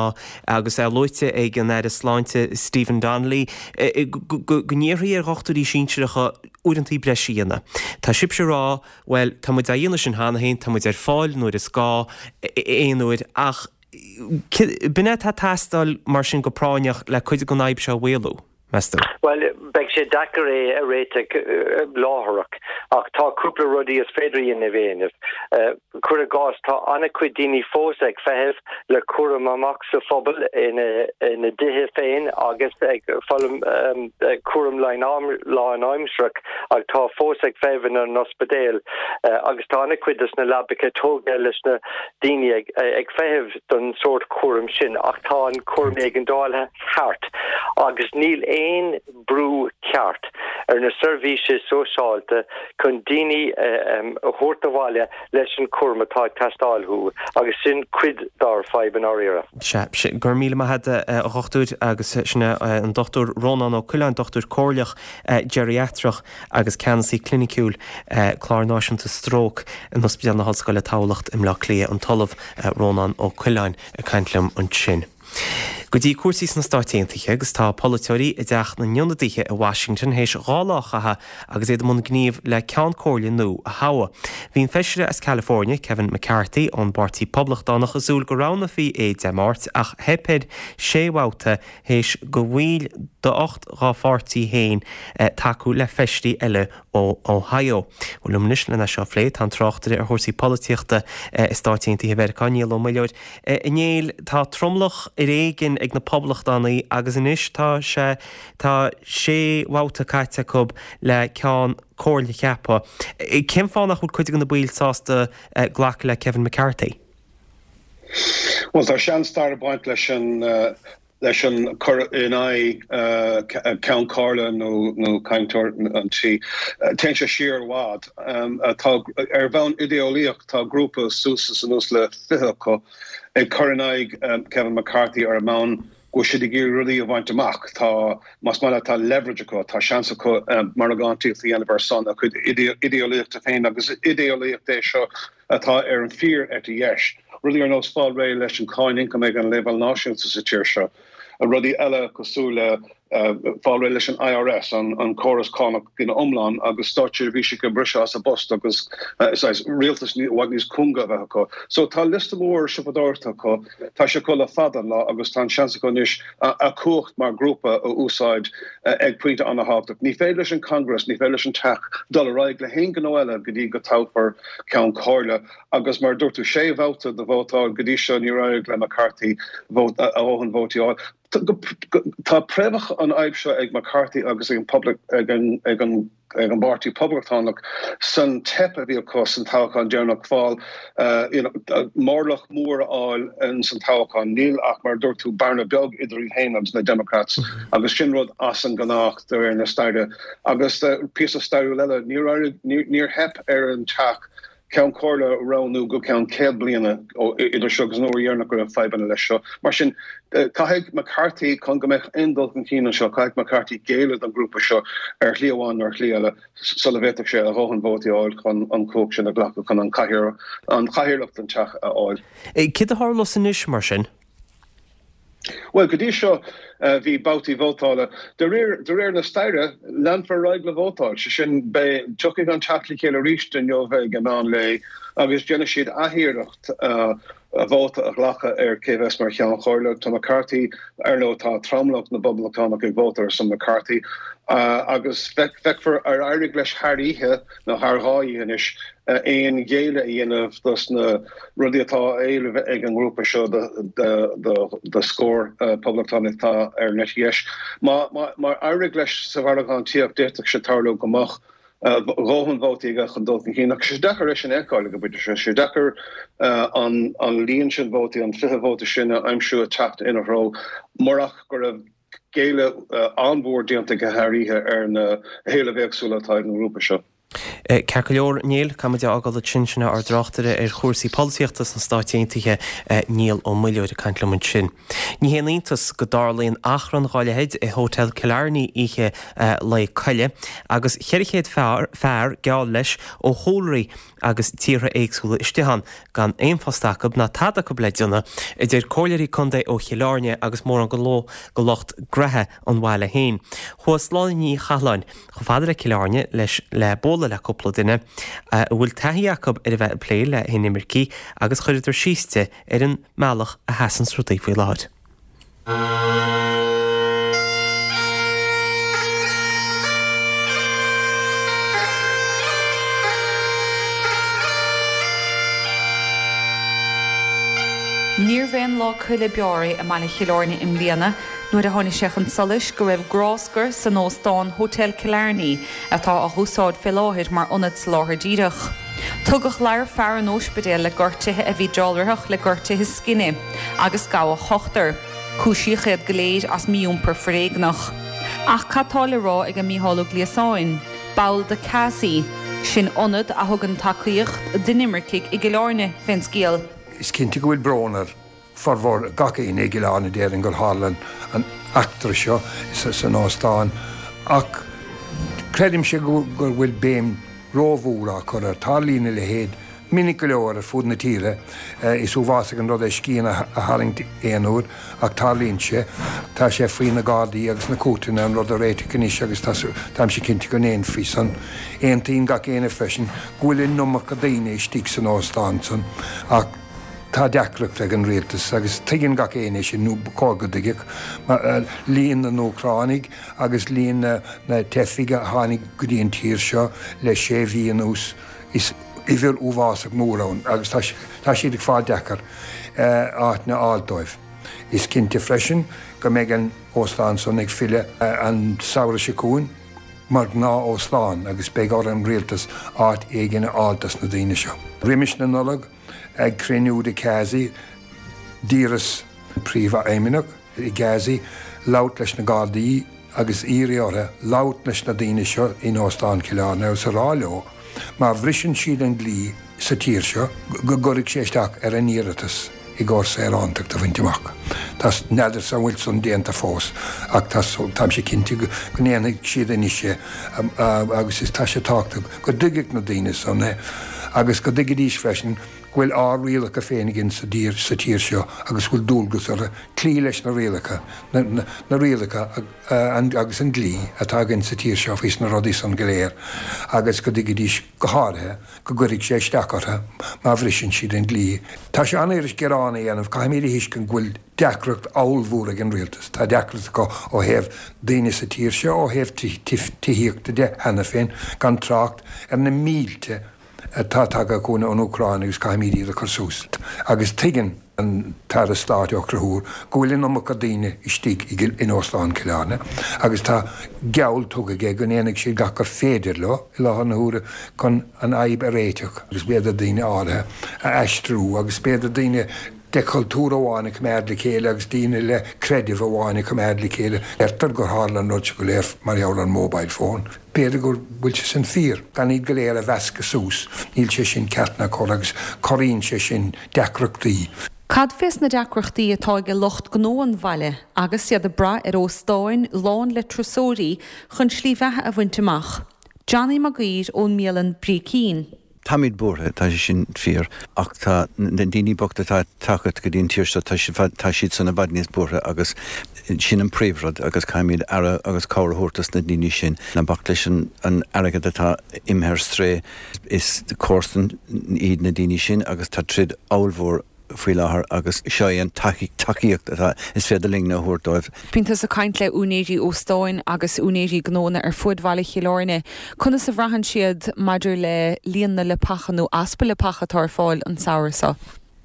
agus é luaite ag an Aire Sláinte Stephen Donnelly, go n-iarrfaí ar dhochtúirí sinsearacha uaireanta breise a dhéanamh. Tá sibhse ag rá, bhuel, tá muid á dhéanamh sin cheana féin, tá muid ar fáil nuair is gá, aon uair, ach b'in é atá ag teastáil mar sin go práinneach le cuid den fhadhb seo a mhaolú. meas tú? Bhuel, beidh sé deacair é a réiteach láithreach, ach tá cúpla rudaí is féidir a dhéanamh. Cuir i gcás, tá an-chuid daoine fós ag feitheamh le cúram amach sa phobal ina dtithe féin agus ag fáil cúram lánaimsearach ach tá fós ag feitheamh ina n-ospidéil agus tá an-chuid de na leabacha tógtha leis na daoine ag feitheamh don sórt cúraim sin ach tá an cúram éigeandála thart agus níl aon brú ceart ar na seirbhísí sóisialta chun daoine a thabhairt abhaile leis an chúram atá ag teastáil uathu agus sin cuid dár fadhb i ndáiríre. Sea, go raibh míle maith agat a dhochtúir agus sin é an Dr Rónán Ó Coileáin, dochtúir comhairleach geiriatrach agus ceannasaí cliniciúil Clár Náisiúnta Stróc in Ospidéal na hOllscoile Tamhlacht i mBleá Cliath, an tOllamh Rónán Ó Coileáin ag caint liom ansin. Go dtí cúrsaí sna Stáit Aontaithe agus tá polaiteoirí i dTeach na nIonadaithe i Washington théis 2 lá a chaitheamh agus iad i mbun gnímh le Ceann Comhairle nua a thoghadh. Bhí an feisire as California, Kevin McCarthy ón bPáirtí Poblachtánach ag súil go roghnófaí é Dé Máirt ach theip air sé bhabhta théis do bhaill d'ocht dá pháirtí féin tacú le feisirí eile ó Ohio. Bhuel, liom anois lena seo a phlé tá an tráchtaire ar chúrsaí polaitíochta i Stáit Aontaithe Mheiriceá, Niall Ó Muilleoir. A Néill, tá tromlach ar éigin ag na Poblachtánaigh agus anois tá sé, tá sé bhabhta caite acu le ceann comhairle a cheapadh. Cén fáth nach bhfuil cuid de na baill sásta glacadh le Kevin McCarthy? Bhuel, tá sean-stair ag baint leis an leis an cur in aghaidh Ceann Comhairle nó cainteoir an tí. Téann sé siar i bhfad. Tá, ar bhonn idéeolaíoch, tá grúpa suas is anuas le 20 acu ag cur in aghaidh Kevin McCarthy ar an mbonn. go bhfuil siad ag iarraidh rudaí a bhaint amach. Tá, más maith leat, tá leverage acu, tá seans acu margántaíocht a dhéanamh ar son a gcuid idéolaíochta féin agus is idéolaíocht é seo atá ar an fíor-eite dheis. Rudaí ar nós fáil réidh leis an cáin ioncaim ag an leibhéal náisiúnta sa tír seo, rudaí eile cosúil le fáil réidh leis an IRS, an córas cánach ina iomlán, agus státseirbhísigh a bhriseadh as a bpost agus saghas rialtas i bhfad níos cúnga a bheith acu. So tá liosta mór siopadóireachta acu, tá sé acu le fada an lá agus tá an seans acu anois a cumhacht mar ghrúpa a úsáid ag pointe an-thábhachtach. Ní féidir leis an Congress, ní féidir leis an Teach dul ar aghaidh le haon ghnó eile go dtí go toghfar Ceann Comhairle agus mar a dúirt tú, sé bhabhta de vótáil go dtí seo níor éirigh le McCarthy a dhóthain vótaí a fháil. Tá préamhacha an fhadhb seo ag McCarthy agus ag an ag an ag an bPáirtí Poblachtánach san teip a bhí acu san toghchán deireanach fáil you know mórlach mór a fháil in san toghchán. Níl ach mar a dúirt tú bearna beag idir iad féin agus na Democrats agus sin rud as an gnách de réir na staire. Agus píosa stairiúil eile níor éirigh níor theip ar an teach Ceann Comhairle a roghnú go ceann 100 bliana idir seo agus an uair dheireanach go raibh fadhbanna leis seo. Mar sin, caithfidh McCarthy, chun go mbeadh aon dul chun cinn anseo, caithfidh McCarthy géilleadh don ghrúpa seo ar shlí amháin nó ar shlí eile sula bhféadfadh sé a dhóthain vótaí a fháil chun an chumhacht sin a ghlacadh chun an chathaoirleacht den Teach a fháil. Céard a tharlós anois, mar sin? Bhuel, go dtí seo bhí babhtaí vótála. De réir, de réir na staire, leanfar ar aghaidh le vótáil. Sé sin, beidh, tiocfaidh an Teach le chéile arís inniu ag an meán lae agus déanfaidh siad athiarracht vóta a ghlacadh ar cé bheas mar Cheann Comhairle. Tá McCarthy, ar ndóigh, tá tromlach na bPoblachtánach ag vótáil ar son McCarthy agus feicfear ar éirigh leis thar oíche nó thar dhá oíche anois aon ghéilleadh a dhéanamh dos na rudaí atá á éileamh ag an ngrúpa seo de scór poblachtánach atá ar an eite dheis. Má éirigh leis sa mhargántaíocht, d'fhéadfadh sé tarlú go mbeadh a dhóthain vótaí aige chun dul chun cinn. Ach tá sé deacair é sin a fheiceáil ag an bpointe seo. Tá sé deacair an líon sin vótaí, an 20 vóta sin a aimsiú ag teacht ina threo murach go raibh géilleadh an-mhór déanta aige thar oíche ar na héilimh éagsúla atá ag an ngrúpa seo. Ceart go leor, Niall, caithfidh muid é a fhágáil ansin. Sin é ár dtráchtaire ar chúrsaí polaitíochta sna Stáit Aontaithe, Niall Ó Muilleoir, ag caint liom ansin. Ní haon iontas go dtarlaíonn achrann dhá leithéid i Hotel Killarney oíche Lae Coille agus 400 fear, fear, geall leis, ó chúlraí agus tíortha éagsúla istigh ann, gan aon phost acu ná tada acu le déanamh, a deir comhairleoirí contae ó Chill Airne agus mórán de lucht graithe an bhaile féin. Chuaigh Sláine Ní Chathláin chomh fada le Cill Airne leis le bualadh le cúpla duine a bhfuil taithí acu ar a bheith ag plé le hinimircigh agus chuireadar síos di ar an mbealach a sheasanns rudaí faoi láthair. Níorbh aon Lá Coille beár é i mbaile Chill Airne i mbliana nuair a tháinig sé chun solais go raibh gráscar san óstán Hotel Killarney atá á úsáid fé láthair mar ionad soláthair díreach. Tugadh ladhar fear an óispidéil le gortuithe a bhí dealraitheach le gortuithe scine agus gabhadh ochtar. Cúisíodh iad go léir as mí-iompar foréigneach. Ach cad tá le rá ag Mícheál Ó Gliasáin, ball de CASI, sin ionad a thugann tacaíocht d'inimircigh i gCill Airne, fén scéal? Is cinnte go bhfuil brón ar formhór gach éinne i gCill Airne déarfainn gur tharla an eachtra seo san óstán ach creidimse go bhfuil béim rómhór á cur air. Tarlaíonn a leithéid minic go leor ar fud na tíre. Is uafásach an rud é scian a tharraingt aon uair ach tarlaíonn sé. Tá sé faoi na Gardaí agus na cúirteanna an rud a réiteach anois agus táimse cinnte go ndéanfaí san. Aontaíonn gach éinne freisin go bhfuil an iomarca daoine istigh san óstán san ach Tá deacracht ag an rialtas, agus tuigeann gach éinne é sin, nó ba chóir go dtuigfeadh, mar líon na nÚcránaigh agus líon na teifigh a tháinig go dtí an tír seo le sé mhí anuas, is uimhir uafásach mór ann agus tá siad ag fáil deacair áiteanna a fháil dóibh. Is cinnte freisin go mbeidh an óstán san ag filleadh an samhradh seo chugainn mar ghnáth-óstán agus beidh ar an rialtas áit éigin a fháil dos na daoine seo. Roimis na Nollag, Ag cruinniú de CASI, d'iarras Príomhfheidhmeannach i gCASI labhairt leis na Gardaí agus iarraidh orthu labhairt leis na daoine seo in Óstán Chill Airne agus a rá leo má bhriseann siad an dlí sa tír seo go gcuirfidh sé isteach ar a n-iarratas. i gcomhair saorántacht a bhaint amach. Tá, n'fheadarsa an bhfuil san déanta fós ach tá, táimse cinnte go ndéanfaidh siad anois é agus is tá sé tábhachtach go dtuigfeadh na daoine san é agus go dtuigfidís freisin go bhfuil ár rialacha féin againn sa dtír, sa tír seo agus go bhfuil dualgas orthu cloí leis na rialacha, na, na rialacha agus an dlí atá againn sa tír seo faoi sna rudaí san go léir agus go dtuigfidís go háirithe go gcuirfidh sé isteach orthu má bhriseann siad an dlí. Tá sé an-fhuirist gearán a dhéanamh, caithfimid a thuiscint go bhfuil deacracht ollmhór ag an rialtas. Tá deacracht acu ó thaobh daoine sa tír seo, ó thaobh tithíochta de cheana féin, gan trácht ar na mílte atá tagtha chugainn ón Úcráin agus caithfimid iad a chur suas. Agus tuigeann an tAire Stáit Ó Conchúir go bhfuil an iomarca daoine istigh in Óstán Chill Airne agus tá geall tugtha aige go ndéanfaidh siad gach gur féidir leo i láthair na huaire chun an fhadhb a réiteach agus b'fhéidir daoine áirithe a aistriú agus b'fhéidir daoine de chultúr amháin a choimeád le chéile agus daoine le creideamh amháin a choimeád le chéile. Deirtear gur tharla an rud seo go léir mar gheall ar an mobile phone. B'fhéidir go bhfuil sé sin fíor. Gan iad go léir a mheascadh suas, níl sé sin ceart ná cóir agus corraíonn sé sin deacrachtaí. Cad fés na deacrachtaí atá ag lucht gnó an bhaile agus iad ag brath ar óstáin lán le turasóirí chun slí bheatha a bhaint amach? Johnny Mac Uidhir ón mbialann Brícín. Táimid buartha, tá sé sin fíor, ach tá na daoine bochta atá ag teacht go dtí an tír seo, tá tá siadsan i bhfad níos buartha agus sin an príomhrud agus caithfimid aire agus cabhair a thabhairt dos na daoine sin. Ná bac leis an airgead atá imithe ar strae, is comharsain iad na daoine sin agus tá troid ollmhór faoi láthair agus seo é an tacaíocht atá is féidir linn a thabhairt dóibh. Bíonn tusa ag caint le úinéirí óstáin agus úinéirí gnónna ar fuaid bhaile Chill Airne. Conas a bhraitheann siad maidir le líon na leapacha nó easpa leapacha atá ar fáil an samhradh seo?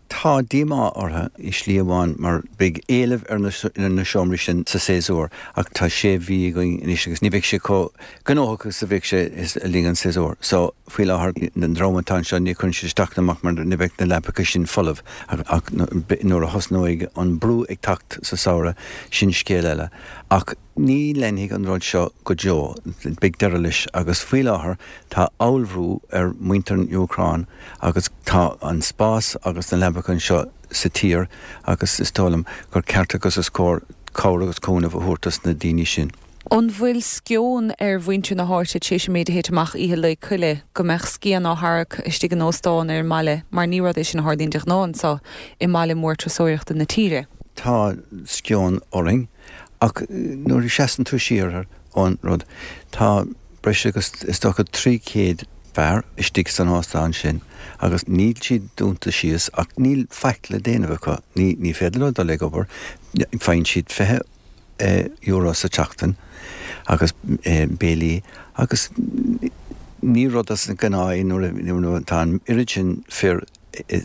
Tá díomá orthu i slí amháin mar beidh éileamh ar na seomraí sin sa séasúr ach tá sé mhí againn anois agus ní bheidh sé chomh gnóthach agus a bheadh sé le linn an tséasúir. So, faoi láthair, an dream atá anseo, ní chuireann siad isteach ná amach mar ní bheidh na leapacha sin folamh ach nuair a thosnóidh an brú ag teacht sa samhradh, sin scéal eile. Ach ní leanfaidh an rud seo go deo, beidh deireadh leis agus faoi láthair tá ollbhrú ar mhuintir an Úcráin agus tá an spás agus na leapacha anseo sa tír agus is dóigh liom gur ceart agus is cóir cabhair agus cúnamh a thabhairt dos na daoine sin. An bhfuil sceon ar mhuintir na háite tar éis an méid a thit amach oíche Lae Coille, go mbeadh scian á tharrac istigh in óstán ar an mbaile, mar ní rud é sin a tharlaíonn de ghnáth anseo i mbaile mór turasóireachta na tíre? Tá sceon orainn, ach nuair a sheasann tú siar ón rud, tá breis agus is dócha 300 fear istigh san óstán sin agus níl siad dúnta síos ach níl faic le déanamh acu. Ní féidir leo dul ag obair, faigheann siad 20 euro sa tseachtain agus béilí agus ní rud as an ngnáth é nuair atá an oiread sin fir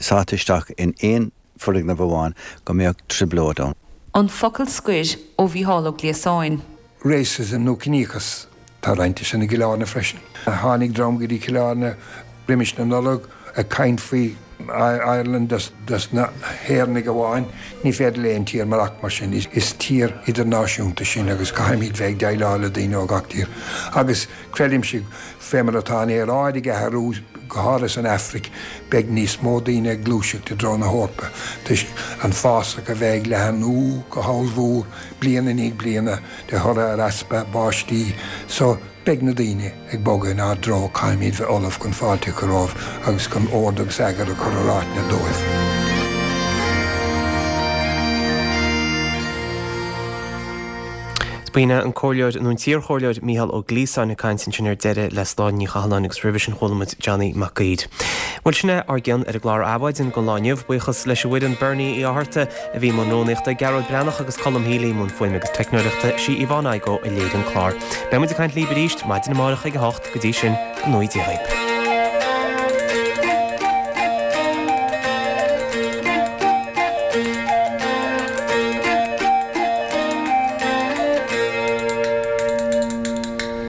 sáite isteach in aon foirgneamh amháin go mbeadh trioblóid ann. An focal scoir ó Mhícheál Ó Gliasáin. Racism nó ciníochas, tá roinnt de sin i gCill Airne freisin. Tháinig dream go dtí Cill Airne roimis na Nollag ag caint faoi Ireland dos na hÉireannaigh amháin. Ní féidir le aon tír maireachtaint mar sin. Is tír idirnáisiúnta sinn agus caithfimid bheith ag déileáil le daoine ó gach tír. Agus creidimse, fé mar atá an aeráid ag athrú, go háirithe san Afraic, beidh níos mó daoine ag gluaiseacht i dtreo na hEorpa toisc an fásach a bheith ag leathnú go hollmhór bliain i ndiaidh bliana de thoradh ar easpa báistí. So, Beidh na daoine ag bogadh inár dtreo, caithfimid bheith ullamh chun fáilte a chur rompu agus chun ord agus eagar a chur ar áiteanna dóibh. B'in é an Comhairleoir, nó an t-iarchomhairleoir Mícheál Ó Gliasáin ag caint ansin ar deireadh le Sláine Ní Chathalláin agus roimhe sin chuala muid Johnny Mac Uidhir. Bhuel sin é ár gcion ar an gclár Adhmhaidin don lá inniu. Buíochas leis an bhfoireann, Bernie Uí Fhátharta, a bhí i mbun rúnaíochta, Gearóid Breathnach agus Colm Healy i mbun fuaime agus teicneoireachta, sí Yvonne Igoe a léirigh an clár. Beidh muid ag caint libh arís maidin amárach ag a hocht, go dtí sin, go ngnóthaí Dia dhaoib.